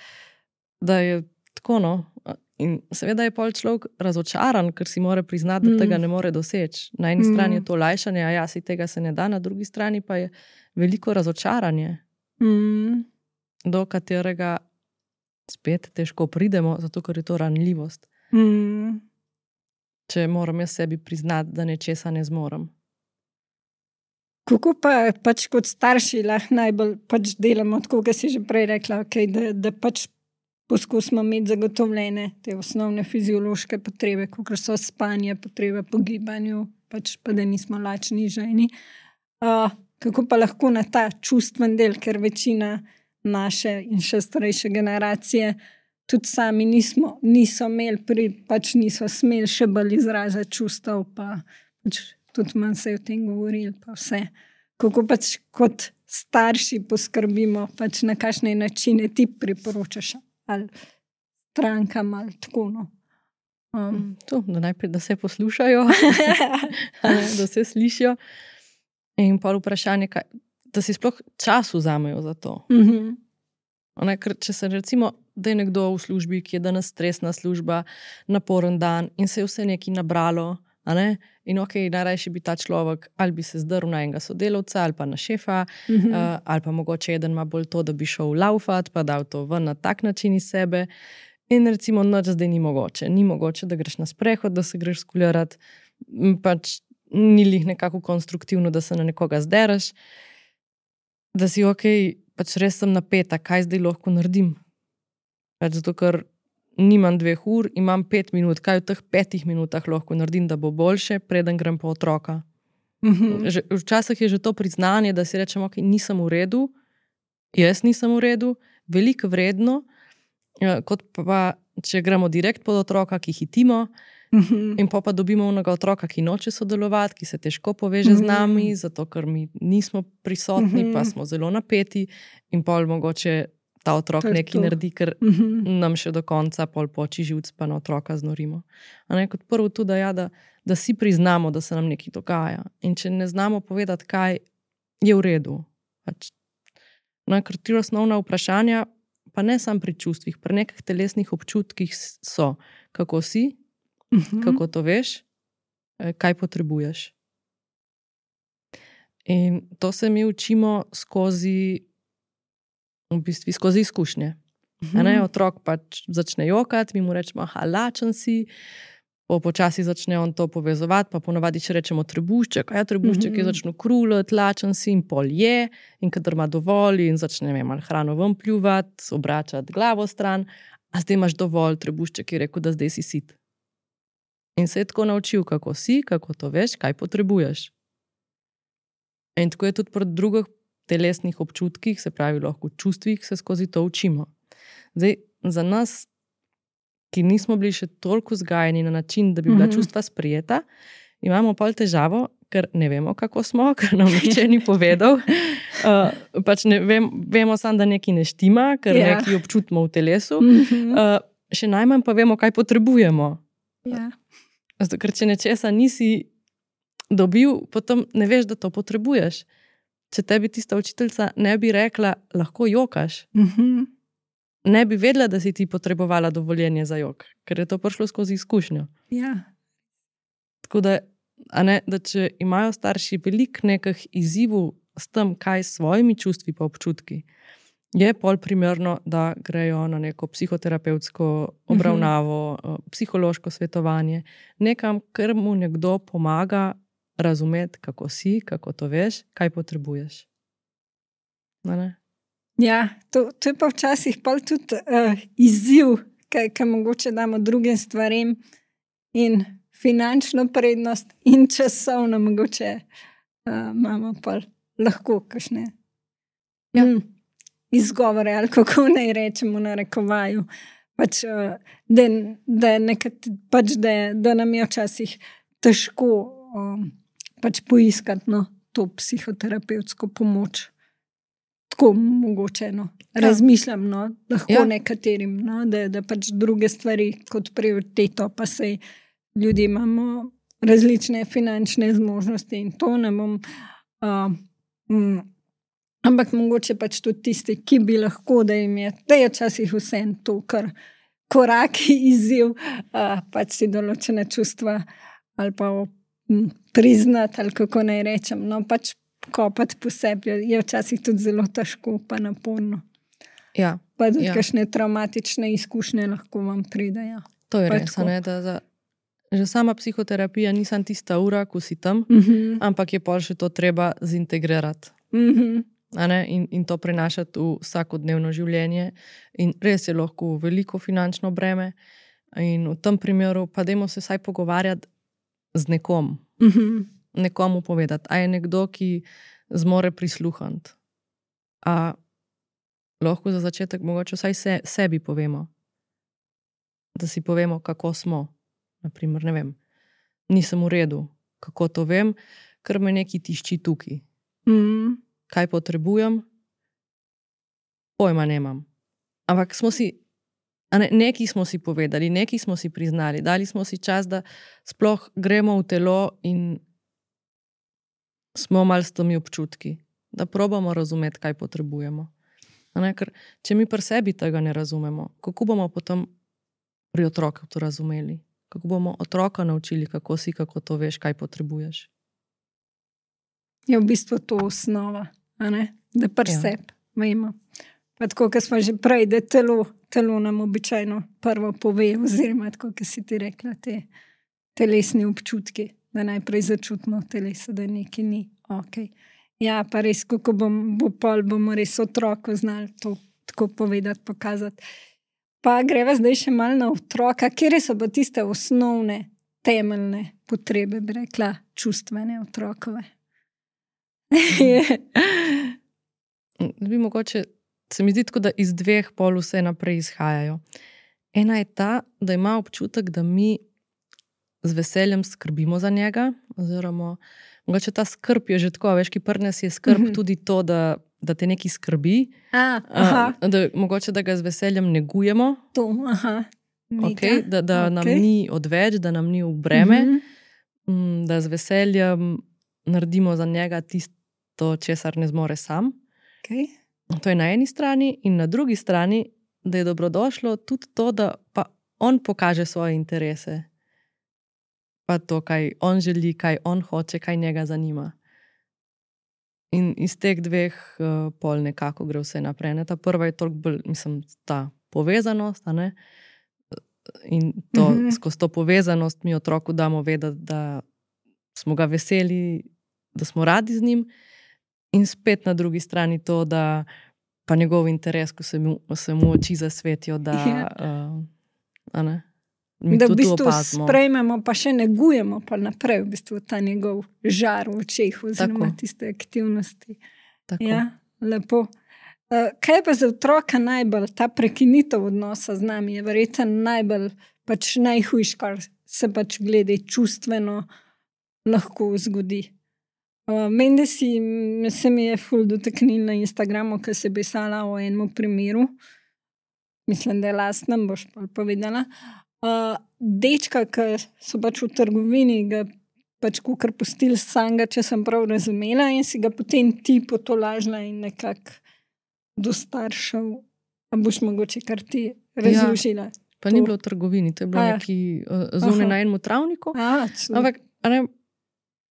da je tako, no. In seveda je pol človek razočaran, ker si mora priznati, da tega ne more doseči. Na eni mm. strani je to olajšanje, a ja, si tega se ne da, na drugi strani pa je veliko razočaranje, mm. do katerega spet težko pridemo, zato ker je to ranljivost. Mm. Če moram jaz sebi priznati, da nečesa ne zmorem. Kako pa pač kot starši lahko najbolj pač delamo, tako kot si že prej rekla, okay, da, da pač poskusimo imeti zagotovljene te osnovne fiziološke potrebe, kot so spanje, potrebe po gibanju, pač pa da nismo lačni ženi. Uh, kako pa lahko na ta čustven del, ker večina naše in še starejše generacije tudi sami nismo, niso imeli, pri, pač niso smeli še bolj izražati čustev, pa pač tudi manj se je o tem govorili, pa vse. Kako pač kot starši poskrbimo, pač na kakšne načine ti priporočaš, ali strankam, ali tako, no. Um. To, da najprej, da se poslušajo, da se slišijo. In pa vprašanje, kaj, da si sploh čas vzamejo za to. Mm-hmm. Ne, ker če se recimo, da je nekdo v službi, ki je danes stresna služba, naporen dan in se je vse nekaj nabralo, a ne? In ok, najrajši bi ta človek ali bi se zdrl na enega sodelavca ali pa na šefa, mm-hmm. uh, ali pa mogoče eden ima bolj to, da bi šel laufat, pa dal to ven na tak način iz sebe. In recimo noč zdaj ni mogoče. Ni mogoče, da greš na sprehod, da se greš skulirati, pač ni lih nekako konstruktivno, da se na nekoga zdereš, da si ok, pač res sem napeta, kaj zdaj lahko naredim. Pač zato, ker nimam dveh ur, imam pet minut, kaj v teh petih minutah lahko naredim, da bo boljše, preden grem po otroka. Mm-hmm. Že, včasih je že to priznanje, da si rečem, ok, nisem v redu, jaz nisem v redu, veliko vredno, kot pa, če gremo direkt pod otroka, ki hitimo, mm-hmm. in pa pa dobimo onega otroka, ki noče sodelovati, ki se težko poveže mm-hmm. z nami, zato ker mi nismo prisotni, mm-hmm. pa smo zelo napeti in pol mogoče ta otrok nekaj naredi, ker mm-hmm. nam še do konca pol poči živc, pa na otroka znorimo. A ne, kot prvo tudi, da, ja, da, da si priznamo, da se nam nekaj dogaja. In če ne znamo povedati, kaj je v redu. Pač, no, ker tri osnovna vprašanja, pa ne samo pri čustvih, pri nekih telesnih občutkih so, kako si, mm-hmm. kako to veš, kaj potrebuješ. In to se mi učimo skozi v bistvu skozi izkušnje. Mm-hmm. Ne, otrok pač začne jokati, mi mu rečemo, aha, lačen si, po počasi začne on to povezovati, pa ponavadi še rečemo trebušček, a ja, trebušček mm-hmm. je začne krulati, lačen si in pol je, in kadar ima dovolj in začne malo hrano ven pljuvati, obračati glavo stran, a zdaj imaš dovolj, trebušček je rekel, da zdaj si sit. In se je tako naučil, kako si, kako to veš, kaj potrebuješ. In tako je tudi pri drugih telesnih občutkih, se pravi lahko čustvih, se skozi to učimo. Zdaj, za nas, ki nismo bili še toliko vzgajeni na način, da bi bila mm-hmm. čustva sprijeta, imamo pol težavo, ker ne vemo, kako smo, ker nam nihče ni povedal. Uh, pač ne vem, vemo samo, da nekaj ne štima, ker yeah. nekaj občutimo v telesu. Mm-hmm. Uh, še najmanj pa vemo, kaj potrebujemo. Yeah. Zato, ker če nečesa nisi dobil, potem ne veš, da to potrebuješ. če tebi tista učiteljica ne bi rekla, lahko jokaš, Mhm. ne bi vedela, da si ti potrebovala dovoljenje za jok, ker je to prišlo skozi izkušnjo. Ja. Tako da, a ne, da če imajo starši veliko nekih izzivov s tem, kaj s svojimi čustvi pa občutki, je pol primerno, da grejo na neko psihoterapevtsko obravnavo, uh-huh. psihološko svetovanje, nekam, ker mu nekdo pomaga razumeti, kako si, kako to veš, kaj potrebuješ. No, ne? Ja, to, to je pa včasih pol tudi uh, izziv, kaj, kaj mogoče damo drugim stvarem in finančno prednost in časovno mogoče uh, imamo pa lahko kakšne ja. mm, izgovore ali kako naj rečemo na rekovaju. Pač, uh, da, da, nekat, pač da, da nam je včasih težko um, pač poiskati no, to psihoterapevtsko pomoč. Tako mogoče, no. Razmišljam, no, lahko ja. nekaterim, no, da, da pač druge stvari kot prioriteto, pa sej ljudje imamo različne finančne zmožnosti in to ne bom. Uh, um, ampak mogoče pač tudi tisti, ki bi lahko, da jim je, da je včasih vsem to, kar korak izziv, uh, pač si določene čustva ali pa um, priznati, ali kako naj rečem, no, pač kopati po sebi je včasih tudi zelo težko pa naporno. Ja. Pa tudi ja. kakšne traumatične izkušnje lahko vam pridejo. To je pa res, ne, da za, že sama psihoterapija nisem tista ura, ko si tam, uh-huh. ampak je pol še to treba zintegrirati. Uh-huh. A ne, in, in to prenašati v vsakodnevno življenje. In res je lahko veliko finančno breme in v tem primeru pa dajmo se vsaj pogovarjati z nekom. Uh-huh. Nekomu povedati, a je nekdo, ki zmore prisluhniti. A lahko za začetek mogoče vsaj se, sebi povemo. Da si povemo, kako smo. Naprimer, ne vem, nisem v redu. Kako to vem? Ker me neki tišči tukaj. Mm. Kaj potrebujem? Pojma nemam. Ampak smo si, a ne, neki smo si povedali, neki smo si priznali, dali smo si čas, da sploh gremo v telo in smo malo s temi občutki, da probamo razumeti, kaj potrebujemo. Ne, ker če mi pri sebi tega ne razumemo, kako bomo potem pri otroku to razumeli? Kako bomo otroka naučili, kako si, kako to veš, kaj potrebuješ? Je v bistvu to osnova, a ne? Da pri Ja. sebi vemo. Pa tako, kot smo že prej, da telo, telo nam običajno prvo pove, oziroma tako, kot si ti rekla, te telesni občutki, da najprej začutimo v telesu, da nekaj ni ok. Ja, pa res, kako bom, bo pol, bomo res otroku znali to tako povedati, pokazati. Pa greva zdaj še malo na otroka, kjer so pa tiste osnovne, temeljne potrebe, bi rekla, čustvene otrokove. Bi mogoče, se mi zdi tako, da iz dveh pol vse naprej izhajajo. Ena je ta, da ima občutek, da mi z veseljem skrbimo za njega, oziroma mogoče ta skrb je že tako, veš, ki pri nas je skrb mm-hmm. tudi to, da, da te nekaj skrbi, A, aha. uh, da mogoče da ga z veseljem negujemo, To, aha. okay, da, da Ok. nam ni odveč, da nam ni v breme, Mhm. mm, da z veseljem naredimo za njega tisto, česar ne zmore sam. Okay. To je na eni strani, in na drugi strani, da je dobrodošlo tudi to, da pa on pokaže svoje interese. Pa to, kaj on želi, kaj on hoče, kaj njega zanima. In iz teh dveh uh, pol nekako gre vse naprej. Ne? Ta prva je toliko bolj, mislim, ta povezanost, a ne? In to, Mhm. skozi to povezanost mi otroku damo vedeti, da smo ga veseli, da smo radi z njim, in spet na drugi strani to, da pa njegov interes, ko se mu, se mu oči zasvetijo, da Ja. uh, a ne? Mi Da v tudi bistvu opazimo. sprejmemo, pa še negujemo pa naprej v bistvu ta njegov žar v očeh oziroma Tako. tiste aktivnosti. Tako. Ja, lepo. Uh, kaj je pa za otroka najbolj, ta prekinitev odnosa z nami je verjetno najbolj, pač najhujš, kar se pač glede čustveno lahko zgodi. Uh, Meni, da si, se mi je ful dotaknil na Instagramu, ko si pisala o enem primeru, mislim, da je lastnem, boš pa povedala. Uh, dečka, ki so pač v trgovini, ga pač kukar pustili samega, če sem prav razumela, in si ga potem ti potolažila in nekako do staršev. A boš mogoče kar ti razložila? Ja, pa to ni bilo v trgovini, to je bilo neki zunaj na enem travniku. A, ampak, a ne,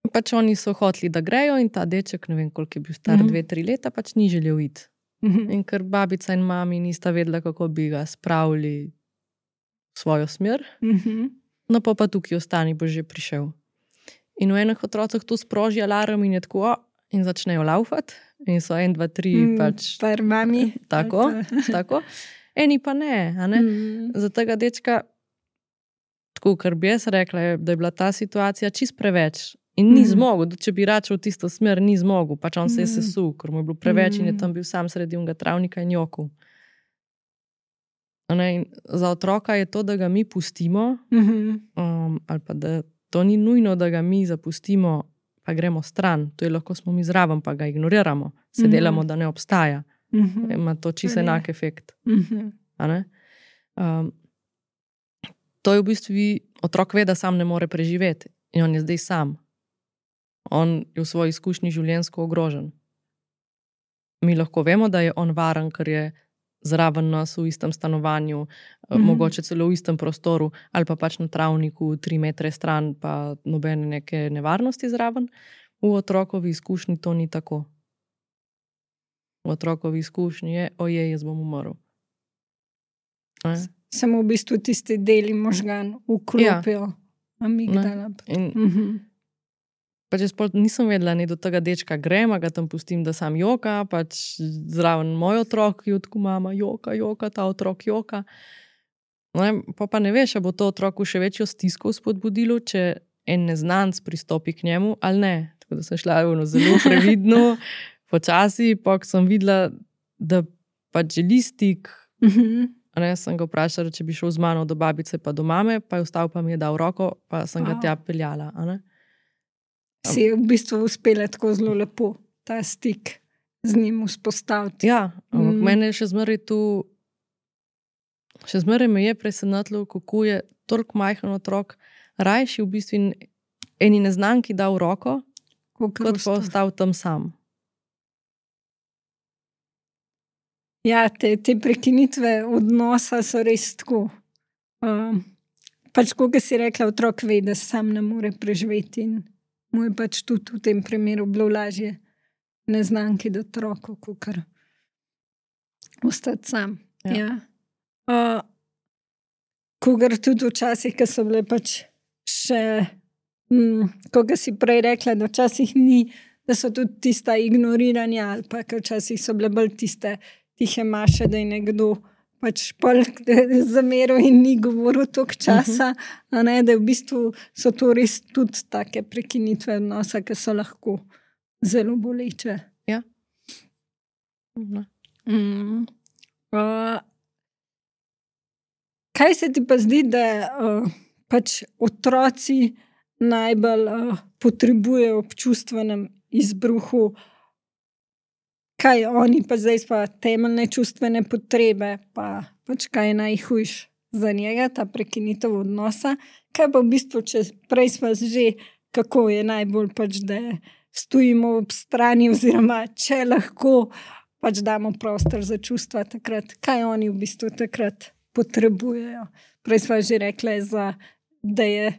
pač oni so hoteli, da grejo in ta deček, ne vem, koliko je bil star, mm-hmm. dve, tri leta, pač ni želel iti. Mm-hmm. In ker babica in mami nista vedela, kako bi ga spravili v svojo smer, mm-hmm. no pa pa tukaj ostani, bo že prišel. In v enih otrocah to sproži alarm in je tako, o, in začnejo laufati. In so en, dva, tri, mm, pač. Per mami. Tako, tako. Eni pa ne, a ne. Mm. Za tega dečka, tako, kar bi jaz rekla, da je bila ta situacija čist preveč. In ni mm. zmogel, če bi račal v tisto smer, ni zmogel. Pač on se je sesul, ker mu je bilo preveč mm. in je tam bil sam sredi unga travnika in jokov. In za otroka je to, da ga mi pustimo, mm-hmm. um, ali pa da to ni nujno, da ga mi zapustimo, pa gremo stran. To je lahko smo mi zraven, pa ga ignoriramo. Se mm-hmm. delamo, da ne obstaja. Mm-hmm. Ima to čisto enak efekt. Mm-hmm. A ne? Um, to je v bistvu, otrok ve, da sam ne more preživeti. In on je zdaj sam. On je v svoji izkušnji življenjsko ogrožen. Mi lahko vemo, da je on varen, ker je zraven nas v istem stanovanju, mm-hmm. mogoče celo v istem prostoru, ali pa pač na travniku, tri metre stran, pa nobene neke nevarnosti zraven. V otrokovi izkušnji to ni tako. V otrokovi izkušnji je, ojej, jaz bom umrl. E? Samo v bistvu tisti deli možgan vklopijo. Ja. Amigdala. In mm-hmm. pač jaz nisem vedela, ni do tega dečka grem, ga tam pustim, da sam joka, pač zraven moj otrok, ki odku mama joka, joka, ta otrok joka. No, pa pa ne veš, a bo to otroku še večjo stisko spodbudilo, če en neznanc pristopi k njemu, ali ne. Tako da sem šla ono, zelo previdno, počasi, pa ko sem videla, da pač želi stik, mm-hmm. ne, sem ga vprašala, če bi šel z mano do babice pa do mame, pa je vstal, pa mi je dal roko, pa sem ga tja peljala. A ne? Si je v bistvu uspela tako zelo lepo ta stik z njim vzpostaviti. Ja, ampak mm. mene še zmeraj tu, še zmeraj me je presenetilo, kako je toliko majhen otrok rajši v bistvu eni neznanki dal roko, kot pa ostal tam sam. Ja, te, te prekinitve odnosa so res tako. Um, pač, kot si rekla, otrok ve, da sam ne more preživeti in mu je pač tudi v tem primeru bilo lažje neznanki do otroku, kakor ostati sam. Ja. Ja. Uh, Kogar tudi včasih, ko so bile pač še, mm, koga si prej rekla, da včasih ni, da so tudi tista ignoriranja, ali pa včasih so bile bolj tiste tihe maše, da je nekdo pač pol zameril in ni govoril toliko časa, uh-huh. a ne, da v bistvu so to res tudi take prekinitve odnosa, ki so lahko zelo boleče. Ja. Uh-huh. Mm. Uh, kaj se ti pa zdi, da uh, pač otroci najbolj uh, potrebujejo v čustvenem izbruhu, kaj oni pa zdaj pa temeljne čustvene potrebe, pa pač kaj je najhujš za njega, ta prekinitev odnosa. Kaj pa v bistvu, če prej smo že, kako je najbolj pač, da stojimo ob strani oziroma če lahko pač damo prostor za čustva takrat, kaj oni v bistvu takrat potrebujejo. Prej smo že rekli, za, da je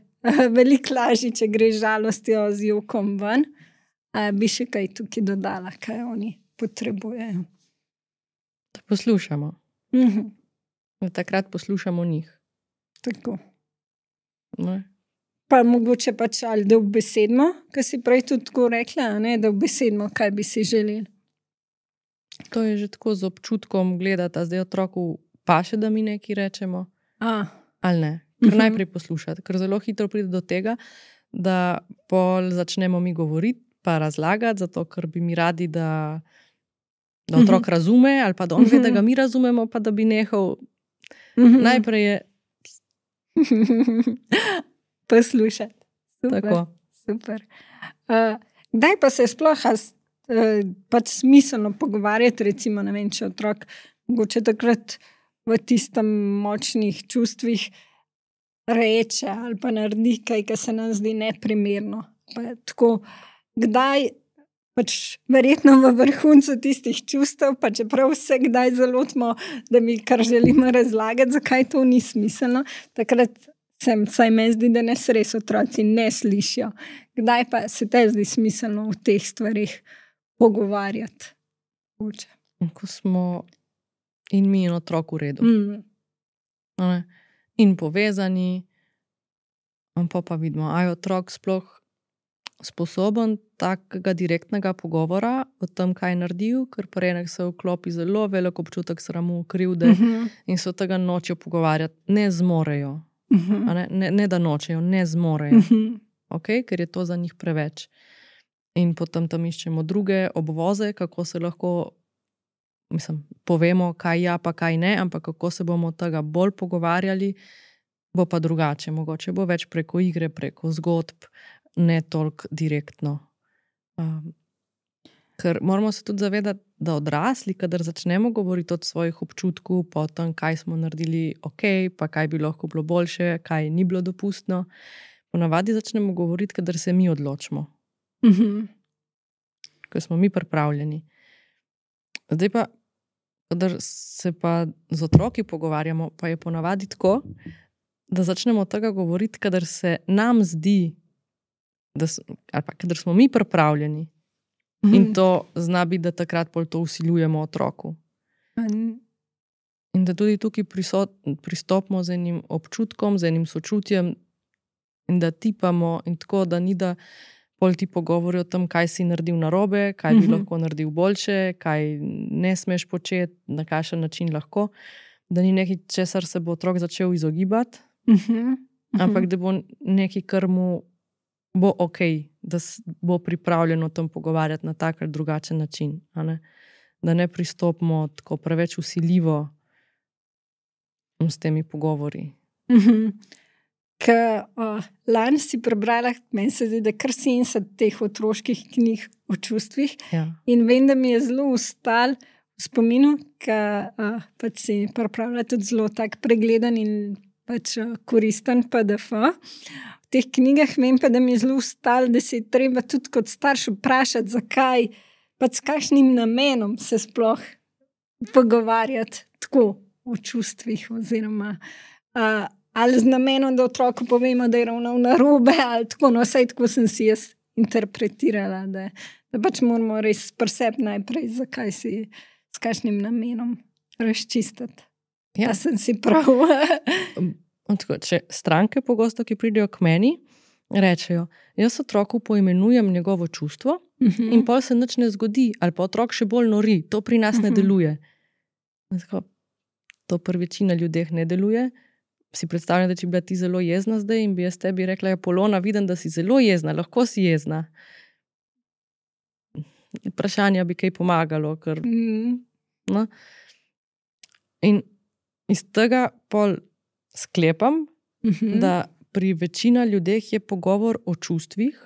veliko lažje, če gre žalostjo z jokom ven. A bi še kaj tukaj dodala, kaj oni potrebujejo. Da poslušamo. Mm-hmm. Da takrat poslušamo njih. Tako. Ne? Pa mogoče pač ali da obesedmo, kar si prej tudi tako rekla, ne? Da obesedmo, kaj bi si želeli. To je že tako z občutkom gledati, zdaj otroku paše, da mi nekaj rečemo. A. Ali ne. Ker mm-hmm. najprej poslušati. Ker zelo hitro pride do tega, da pol začnemo mi govoriti, pa razlagati, zato ker bi mi radi, da, da otrok mm-hmm. razume, ali pa da on ve, da ga mi razumemo, pa da bi nehal. Mm-hmm. Najprej je poslušati. Super. Tako. Super. Uh, kdaj pa se sploh uh, pač smiselno pogovarjati, recimo, ne vem, če otrok mogoče takrat v tistem močnih čustvih reče ali pa naredi kaj, kar se nam zdi neprimerno. Pa tako, kdaj, pač verjetno v vrhuncu tistih čustev, pa čeprav vse kdaj zalotimo, da mi kar želimo razlagati, zakaj to ni smiselno, takrat sem, saj me zdi, da nas res otroci ne slišijo. Kdaj pa se te zdi smiselno v teh stvarih pogovarjati? Uče. Ko smo in mi in otrok v redu. Mm. In povezani, pa pa vidimo, a je otrok sploh sposoben takega direktnega pogovora o tem, kaj je naredil, ker prenek se vklopi zelo velik občutek sramu, krivde Mhm. in se od tega nočejo pogovarjati, ne zmorejo. Mhm. A ne, ne, ne da nočejo, ne zmorejo, Mhm. okay? Ker je to za njih preveč. In potem tam iščemo druge obvoze, kako se lahko, mislim, povemo, kaj ja, pa kaj ne, ampak kako se bomo od tega bolj pogovarjali, bo pa drugače. Mogoče bo več preko igre, preko zgodb, ne toliko direktno. Um, ker moramo se tudi zavedati, da odrasli, kadar začnemo govoriti od svojih občutkov, pa o tem, kaj smo naredili ok, pa kaj bi lahko bilo boljše, kaj ni bilo dopustno, ponavadi začnemo govoriti, kadar se mi odločimo. Mhm. Ker smo mi pripravljeni. Zdaj pa, kadar se pa z otroki pogovarjamo, pa je ponavadi tako, da začnemo od tega govoriti, kadar se nam zdi, da s, ali pa kadar smo mi pripravljeni. Mhm. In to zna biti, da takrat pol to vsiljujemo otroku. Mhm. In da tudi tukaj prisot, pristopimo z enim občutkom, z enim sočutjem in da tipamo in tako, da ni da pol ti pogovori o tem, kaj si naredil narobe, kaj bi Mhm. lahko naredil boljše, kaj ne smeš početi, na kakšen način lahko, da ni nekaj, česar se bo otrok začel izogibati, Mhm. ampak da bo nekaj, kar mu bo ok, da s- bo pripravljen o tem pogovarjati na tak ali drugačen način. A ne? Da ne pristopimo tako preveč vsiljivo s temi pogovori. Mhm. Ke, uh, lani si prebrala, meni se zdi, da kar sedemdeset teh otroških knjig o čustvih. Ja. In vem, da mi je zelo ustal v spominu, ker uh, pač si pripravlja tudi zelo tak pregleden in pač uh, koristen P D F. V teh knjigah vem pa, da mi je zelo ustal, da se je treba tudi kot starš vprašati, zakaj, pač s kakšnim namenom se sploh pogovarjati tako o čustvih oziroma uh, ali z namenom, da otroku povemo, da je ravnal narobe, ali tako, no, vsaj tako sem si jaz interpretirala, da, da pač moramo res pri sebi najprej, zakaj si, s kakšnim namenom razčistiti. Ja. Da sem si prav. Tako, če stranke pogosto, ki pridejo k meni, rečejo, jaz otroku poimenujem njegovo čustvo Mhm. in pol se nič ne zgodi, ali pa otrok še bolj nori, to pri nas ne Mhm. deluje. Tako, to pri večini ljudeh ne deluje. Si predstavljam, da če bi bila ti zelo jezna zdaj in bi jaz tebi rekla, ja, Polona, vidim, da si zelo jezna, lahko si jezna. Vprašanja bi kaj pomagalo, ker, Mhm. no. In iz tega pol sklepam, Mhm. da pri večini ljudeh je pogovor o čustvih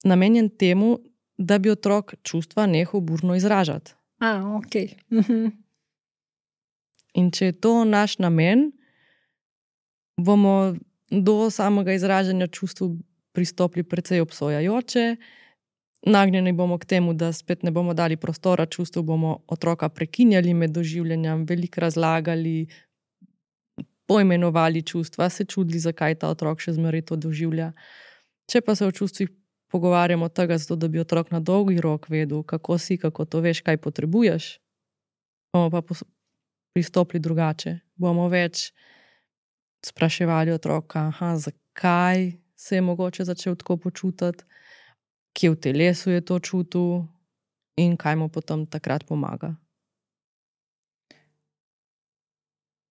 namenjen temu, da bi otrok čustva nehal burno izražati. A, ok. Mhm. In če je to naš namen, bomo do samega izražanja čustev pristopili precej obsojajoče, nagnjeni bomo k temu, da spet ne bomo dali prostora čustev, bomo otroka prekinjali med doživljanjem, veliko razlagali, poimenovali čustva, se čudili, zakaj ta otrok še zmeraj to doživlja. Če pa se o čustvih pogovarjamo tega, zato da bi otrok na dolgi rok vedel, kako si, kako to veš, kaj potrebuješ, bomo pa pos- pristopili drugače. Bomo več spraševali otroka, aha, zakaj se je mogoče začel tako počutiti, kje v telesu je to čutil in kaj mu potem takrat pomaga.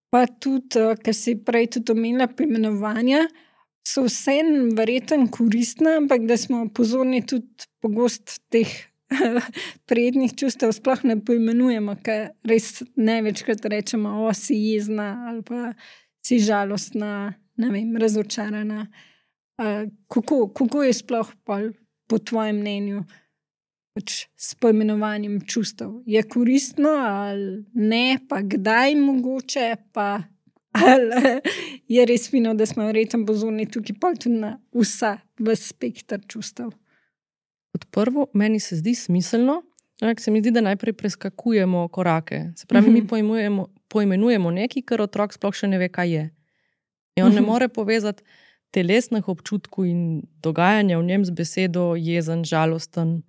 Pa tudi, uh, ker si prej tudi omenila poimenovanja, so vseeno verjetno koristne, ampak da smo pozorni tudi pogosto teh prijetnih čustev sploh ne poimenujemo, ker res največkrat rečemo, o, si jezna ali pa si žalostna, ne vem, razočarana. Uh, kako, kako je sploh pol, po tvojem mnenju pač s poimenovanjem čustev? Je koristno ali ne, pa kdaj mogoče, pa ali je res fino, da smo verjetno pozorni tukaj pol tudi na vsa v spektr čustev. Kot prvo, meni se zdi smiselno, ampak se mi zdi, da najprej preskakujemo korake. Se pravi, mi pojmujemo, poimenujemo nekaj, kar otrok sploh še ne ve, kaj je. In on ne more povezati telesnih občutkov in dogajanja v njem z besedo jezen, žalosten.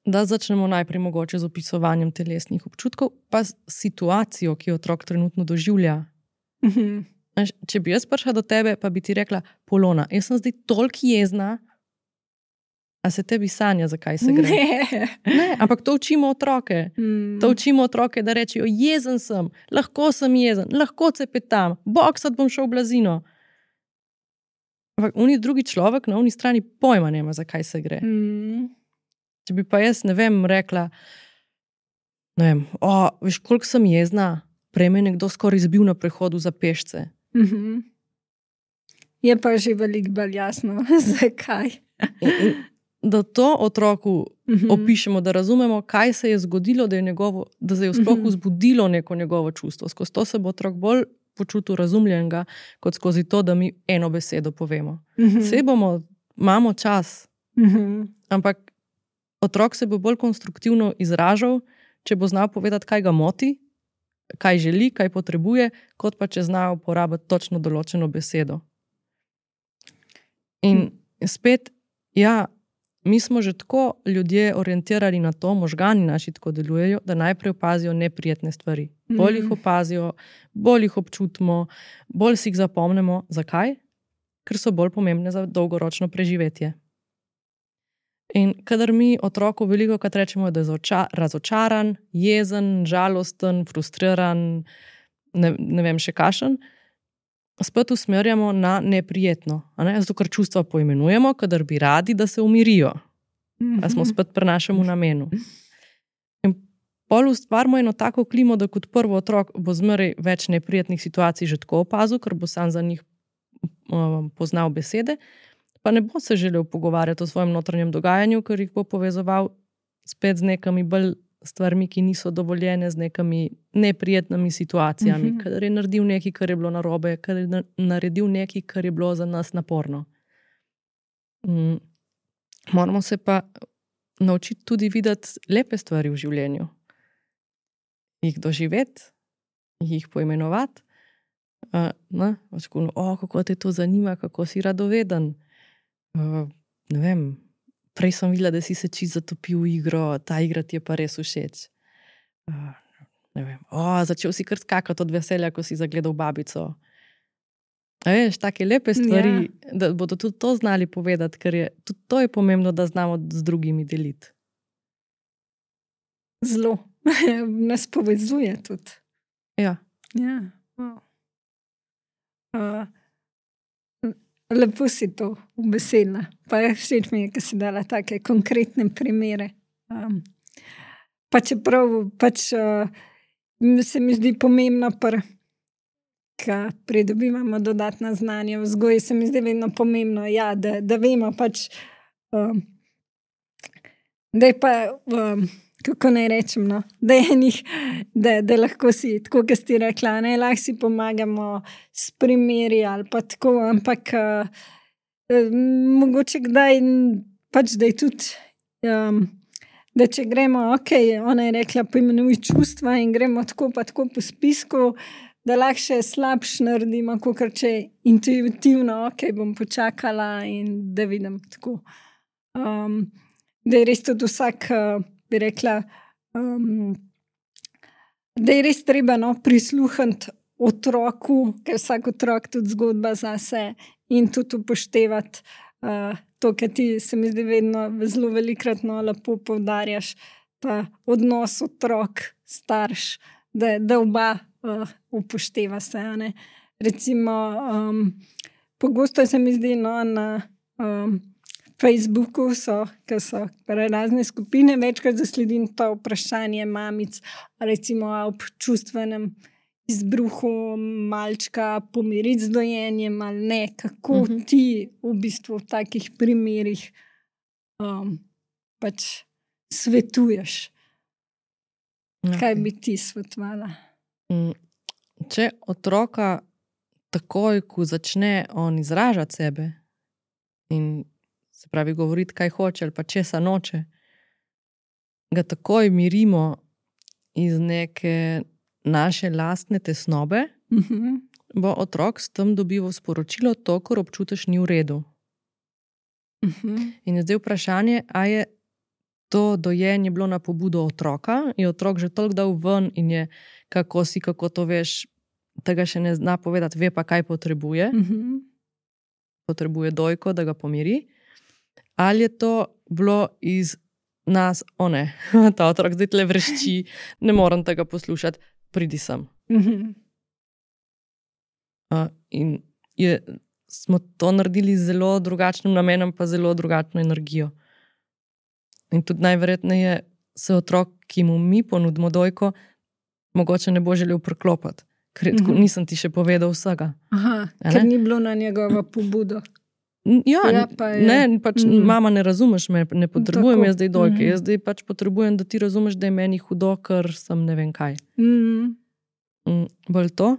Da začnemo najprej mogoče z opisovanjem telesnih občutkov, pa s situacijo, ki jo otrok trenutno doživlja. Mhm. Znaš, če bi jaz prišla do tebe, pa bi ti rekla, Polona, jaz sem zdaj toliko jezna, a se tebi sanja, zakaj se gre? Ne. Ne, ampak to učimo otroke. Mm. To učimo otroke, da rečejo, jezen sem, lahko sem jezen, lahko cepetam, boksat bom šel v blazino. Ampak oni drugi človek na oni strani pojma nema, zakaj se gre. Mm. Če bi pa jaz, ne vem, rekla, ne vem, o, veš, koliko sem jezna, prej me je nekdo skoraj izbil na prehodu za pešce. Mhm. Je pa že veliko bolj jasno, zakaj. In, in, da to otroku Mhm. opišemo, da razumemo, kaj se je zgodilo, da, je njegovo, da se je sploh Mhm. vzbudilo neko njegovo čustvo. Skozi to se bo otrok bolj počutil razumljenega, kot skozi to, da mi eno besedo povemo. Mhm. Saj bomo, imamo čas, Mhm. ampak otrok se bo bolj konstruktivno izražal, če bo znal povedati, kaj ga moti, kaj želi, kaj potrebuje, kot pa če zna uporabiti točno določeno besedo. In spet, ja, mi smo že tako ljudje orientirani na to, možgani naši tako delujejo, da najprej opazijo neprijetne stvari. Bolj jih opazijo, bolj jih občutimo, bolj si jih zapomnimo. Zakaj? Ker so bolj pomembne za dolgoročno preživetje. In kadar mi otroku velikokrat rečemo, da je razočaran, jezen, žalosten, frustriran, ne, ne vem še kakšen, spet usmerjamo na neprijetno. A ne? Zato, ker čustva poimenujemo, kadar bi radi, da se umirijo. A smo spet pri našemu namenu. In pol ustvarimo eno tako klimo, da kot prvo otrok bo zmeraj več neprijetnih situacij že tako opazil, ker bo sam za njih um, poznal besede, pa ne bo se želel pogovarjati o svojem notranjem dogajanju, ker jih bo povezoval spet z nekami bolj stvarmi, ki niso dovoljene, z nekami neprijetnimi situacijami, Mhm. kadar je naredil nekaj, kar je bilo narobe, kadar je na- naredil nekaj, kar je bilo za nas naporno. Mm. Moramo se pa naučiti tudi videti lepe stvari v življenju. Jih doživeti, jih poimenovati. Uh, ne, Očekujem, o, kako te to zanima, kako si radoveden. Uh, ne vem, prej sem videla, da si se čisto zatopil v igro, ta igra ti je pa res všeč. Uh, ne vem, o, začel si kar skakati od veselja, ko si zagledal babico. A veš, take lepe stvari, ja. Da bodo tudi to znali povedati, ker je tudi to je pomembno, da znamo z drugimi deliti. Zelo. Nas povezuje tudi. Ja. Ja. Wow. Uh, lepo si to obesela. Pa všeč mi je, ker si dala take konkretne primere. Um, pa čeprav pač uh, se mi zdi pomembno, pr, ka pridobivamo dodatna znanja v vzgoji, se mi zdi vedno pomembno, ja, da, da vemo pač, um, da je pa, um, kako naj rečem, no, da je njih, da, da lahko si, tako kot si rekla, ne, lahko si pomagamo s primeri ali pa tako, ampak uh, mogoče kdaj pač, da je tudi, um, da če gremo, ok, ona je rekla, poimenuj čustva in gremo tako pa tako po spisku, da lahko še slabš naredimo, kakor če intuitivno, ok, bom počakala in da vidim tako. Um, da je res tudi vsak, uh, bi rekla, um, da je res treba no, prisluhniti otroku, ker vsak otrok tudi zgodba zase in tudi upoštevati uh, to, kar ti se mi zdi vedno zelo velikrat no, lepo poudarjaš, ta odnos otrok, starš, da, da oba uh, upošteva se. Ne? Recimo, um, pogosto se mi zdi no, na um, Facebooku so, ki so razne skupine, večkrat zasledim to vprašanje mamic, recimo ob čustvenem izbruhu malčka, pomiriti z dojenjem ali ne, kako uh -huh. ti v bistvu v takih primerih um, pač svetuješ. Okay. Kaj bi ti svetovala? Mm, če otroka takoj, ko začne on izražati sebe in se pravi govoriti, kaj hoče ali pa česa noče, ga takoj mirimo iz neke naše lastne tesnobe, Mhm. bo otrok s tem dobival sporočilo, to, kar občutiš, ni v redu. Mhm. In je zdaj vprašanje, a je to dojenje bilo na pobudo otroka, je otrok že toliko dal ven in je, kako si, kako to veš, tega še ne zna povedati, ve pa, kaj potrebuje. Mhm. Potrebuje dojko, da ga pomiri. Ali je to bilo iz nas, o ne, ta otrok zdaj tle vrešči, ne morem tega poslušati, pridi sem. Mhm. Uh, in je, smo to naredili z zelo drugačnim namenom, pa zelo drugačno energijo. In tudi najverjetneje se otrok, ki mu mi ponudimo dojko, mogoče ne bo želel preklopiti, ker je tako, Mhm. nisem ti še povedal vsega. Aha, A ne? ker ni bilo na njegovo pobudo. N- Ja, Ja, n- pa je. ne, pač Mhm. mama, ne razumeš me, ne potrebujem Tako. jaz zdaj dojke, Mhm. jaz zdaj pač potrebujem, da ti razumeš, da je meni hudo, ker sem ne vem kaj. Mhm. Mm, bolj to.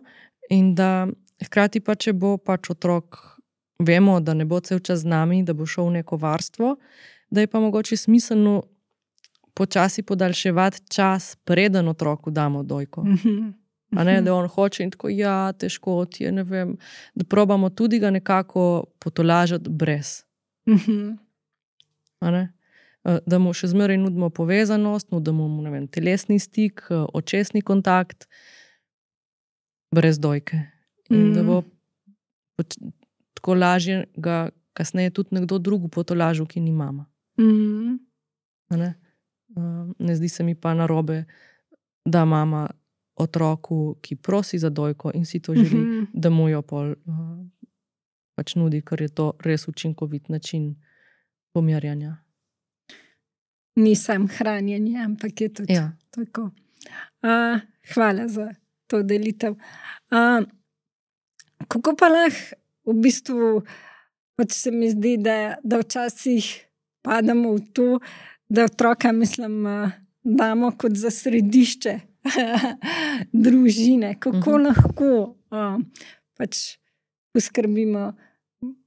In da hkrati pa, če bo pač otrok, vemo, da ne bo cel čas z nami, da bo šel v neko varstvo, da je pa mogoče smiselno počasi podaljševati čas, preden otroku damo dojko. Mhm. A ne, da on hoče in tako, ja, težko ti je, ne vem, da probamo tudi ga nekako potolažiti brez. Mhm. A ne? Eh, Da mu še zmeraj nudimo povezanost, nudimo mu, ne vem, telesni stik, eh, očesni kontakt, brez dojke. In da bo poč- tako lažje ga kasneje tudi nekdo drug potolažil, ki ni mama. Mhm. A Ne? Eh, ne zdi se mi pa narobe, da mama otroku, ki prosi za dojko in si to želi, Mhm. da mu jo pol uh, pač nudi, ker je to res učinkovit način pomirjanja. Ni sam hranjenje, ampak je tudi Ja. tako. Uh, hvala za to delitev. Uh, kako pa lahko v bistvu, pač se mi zdi, da, da včasih padamo v to, da otroka, mislim, uh, damo kot za središče družine. Kako Mhm. uh-huh. lahko uh, pač poskrbimo,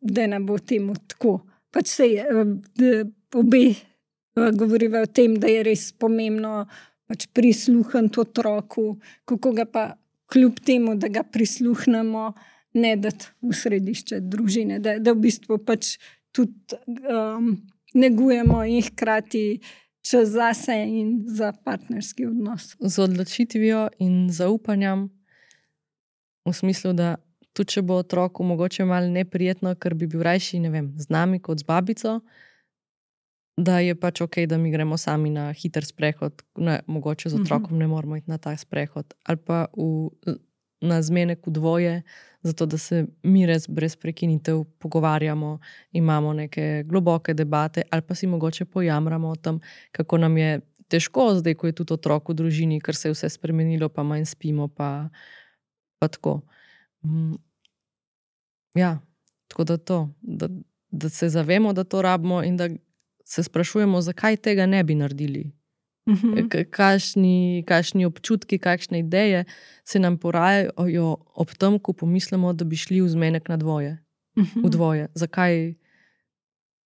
da ne bo temu tako. Pač se obe govoriva o tem, da je res pomembno pač prisluhniti otroku, kako ga pa kljub temu, da ga prisluhnemo, ne dati v središče družine, da, da v bistvu pač tudi um, negujemo in hkrati čas zase in za partnerski odnos. Z odločitvijo in zaupanjem, v smislu, da tudi če bo otroku mogoče malo neprijetno, ker bi bil rajši, ne vem, z nami kot z babico, da je pač ok, da mi gremo sami na hiter sprehod, ne, mogoče z otrokom ne moramo iti na ta sprehod, ali pa v, na zmenek v dvoje, zato da se mi res brez prekinitev pogovarjamo, imamo neke globoke debate, ali pa si mogoče pojamramo o tem, kako nam je težko zdaj, ko je tudi otrok v družini, ker se je vse spremenilo, pa manj spimo, pa, pa tako. Mm. Ja, tako da to, da, da se zavemo, da to rabimo in da se sprašujemo, zakaj tega ne bi naredili. Mhm. K- Kakšni, kakšni občutki, kakšne ideje se nam porajajo ob tem, ko pomislimo, da bi šli v zmenek na dvoje. V dvoje. Zakaj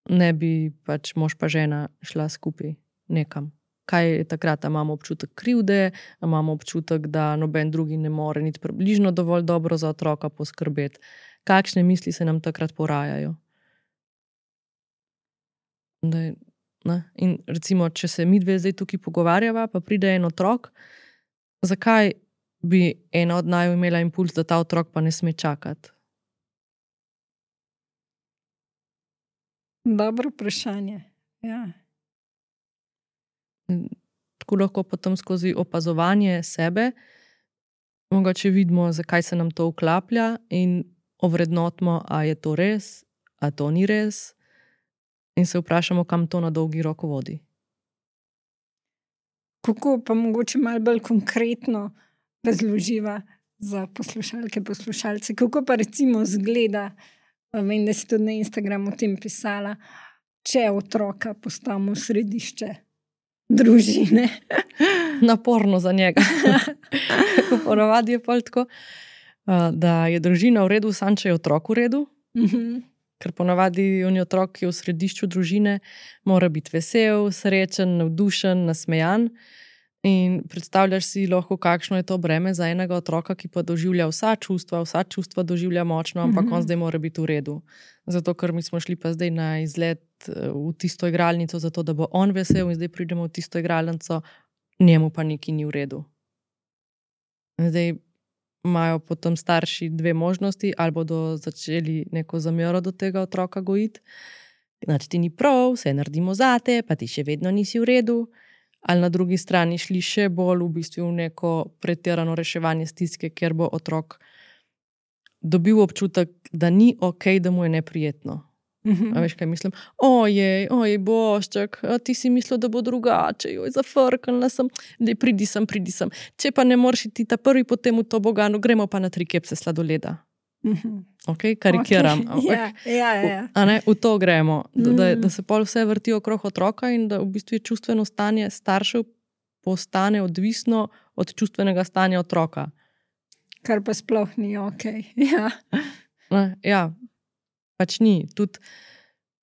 ne bi pač mož pa žena šla skupaj nekam? Kaj je takrat, a imamo občutek krivde, a imamo občutek, da noben drugi ne more niti približno dovolj dobro za otroka poskrbeti. Kakšne misli se nam takrat porajajo? Da je, ne? In recimo, če se mi dve zdaj tukaj pogovarjava, pa pride en otrok, zakaj bi ena od naju imela impuls, da ta otrok pa ne sme čakati? Dobro vprašanje. Ja. Tako lahko potem skozi opazovanje sebe mogoče vidimo, zakaj se nam to vklaplja in ovrednotimo, a je to res, a to ni res, in se vprašamo, kam to na dolgi rok vodi. Kako pa mogoče malo bolj konkretno razloživa za poslušalke, poslušalce, kako pa recimo zgleda, vem, da si tudi na Instagramu o tem pisala, če otroka postavimo v središče družine. Naporno za njega. Ponovadi je pol tako. da je družina v redu, samo če je otrok v redu. Mhm. Ker ponavadi on je otrok, ki je v središču družine, mora biti vesel, srečen, navdušen, nasmejan. In predstavljaš si lahko, kakšno je to breme za enega otroka, ki pa doživlja vsa čustva, vsa čustva doživlja močno, ampak mm-hmm. on zdaj mora biti v redu. Zato, ker mi smo šli pa zdaj na izlet v tisto igralnico, zato da bo on vesel in zdaj pridemo v tisto igralnico, njemu pa nekaj ni v redu. Zdaj imajo potem starši dve možnosti, ali bodo začeli neko zamero do tega otroka gojiti. Znači ti ni prav, vse naredimo zate, pa ti še vedno nisi v redu. Ali na drugi strani šli še bolj v bistvu v neko pretirano reševanje stiske, kjer bo otrok dobil občutek, da ni ok, da mu je neprijetno. Mm-hmm. A veš, kaj mislim? Ojej, ojej, bošček, ti si mislil, da bo drugače, joj, zafrknila sem, dej, pridi sem, pridi sem. Če pa ne moreš iti ta prvi potem v to bogano, gremo pa na tri kepse sladoleda. Mm-hmm. Ok, karikiram. Okay. Ja, ja, ja. A ne, v to gremo. Da, da, da se pol vse vrti okrog otroka in da v bistvu čustveno stanje staršev postane odvisno od čustvenega stanja otroka. Kar pa sploh ni ok. Ja, ne, ja. Pač ni. Tudi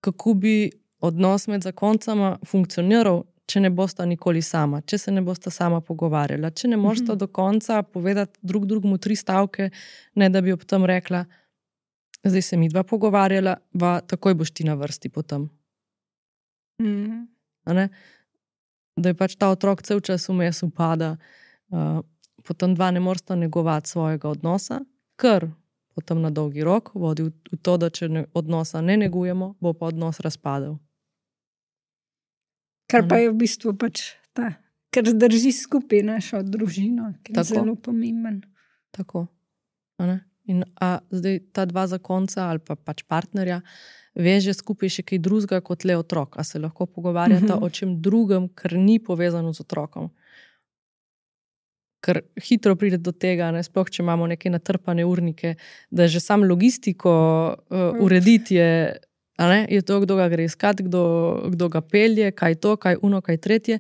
kako bi odnos med zakoncama funkcioniral, če ne bosta nikoli sama, če se ne bosta sama pogovarjala, če ne morata mm-hmm. do konca povedati drug drugemu tri stavke, ne da bi ob tem rekla, zdaj se mi dva pogovarjala, pa takoj boš ti na vrsti potem. Mm-hmm. A ne? Da je pač ta otrok cel čas vmes upada, uh, potem dva ne morata negovati svojega odnosa, ker potem na dolgi rok vodi v, v to, da če ne, odnosa ne negujemo, bo pa odnos razpadel. Kar pa je v bistvu pač ta, ker zdrži skupaj našo družino, ki je zelo pomemben. Tako. A ne? In a zdaj ta dva zakonca ali pa pač partnerja veže skupaj še kaj drugega kot le otrok. A se lahko pogovarjata mm-hmm. o čem drugem, kar ni povezano z otrokom. Ker hitro pride do tega, ne, sploh če imamo neke natrpane urnike, da že sam logistiko uh, urediti je, a ne, je to, kdo ga gre iskati, kdo, kdo ga pelje, kaj to, kaj uno, kaj tretje.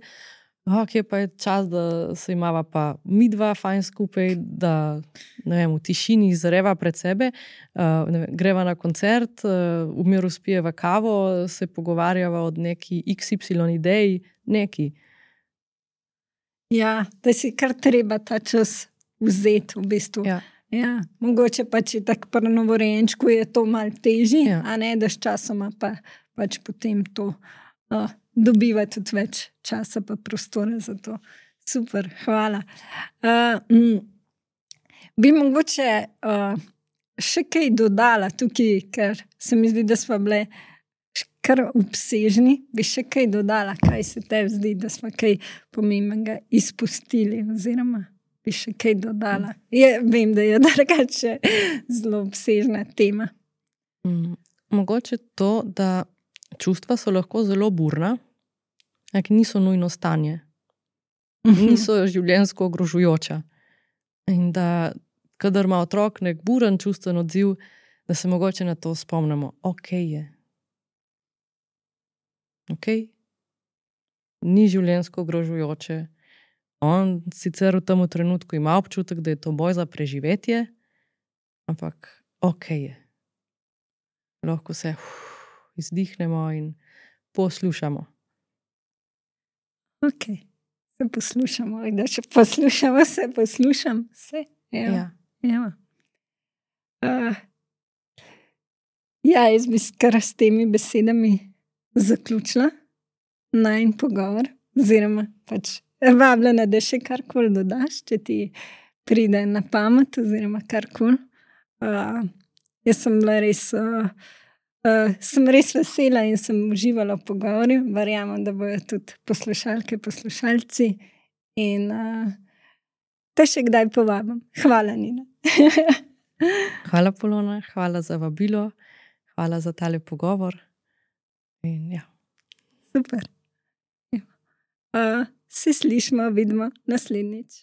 Ok, pa je čas, da se imava pa mi dva fajn skupaj, da ne vem, v tišini zareva pred sebe, uh, ne vem, greva na koncert, uh, v miru spijeva kavo, se pogovarjava od neki iks ipsilon ideji, neki. Ja, da si kar treba ta čas vzeti v bistvu. Ja. Ja, mogoče pač je tako pri novorojenčku je to malo težje, ja. A ne, da s časoma pa pač potem to uh, dobiva tudi več časa pa prostora za to. Super, hvala. Uh, mm, bi mogoče uh, še kaj dodala tukaj, ker se mi zdi, da smo bile kar obsežni, bi še kaj dodala, kaj se tebi zdi, da smo kaj pomembnega izpustili oziroma bi še kaj dodala. Je, vem, da je drugače zelo obsežna tema. Mm, mogoče to, da čustva so lahko zelo burna, ampak niso nujno stanje. Niso življenjsko ogrožujoča. In da, kadar ima otrok nek buren čustven odziv, da se mogoče na to spomnimo. Ok je. Ok? Ni življenjsko ogrožujoče. On sicer v tem trenutku ima občutek, da je to boj za preživetje, ampak ok je. Lahko se uf, izdihnemo in poslušamo. Ok, se poslušamo, da še poslušamo, se poslušam, se. Ja. Ja. Uh, ja, jaz bi kar s temi besedami zaključila najin pogovor, oziroma pač vabljena, da še karkoli dodaš, če ti pride na pamet, oziroma karkoli. Uh, jaz sem bila res, uh, uh, sem res vesela in sem uživala v pogovorju. Verjamem, da bojo tudi poslušalke, poslušalci. In uh, te še kdaj povabim. Hvala, Nina. Hvala, Polona, hvala za vabilo, hvala za tale pogovor. In ja. Super. Uh, se slišimo, vidimo naslednjič.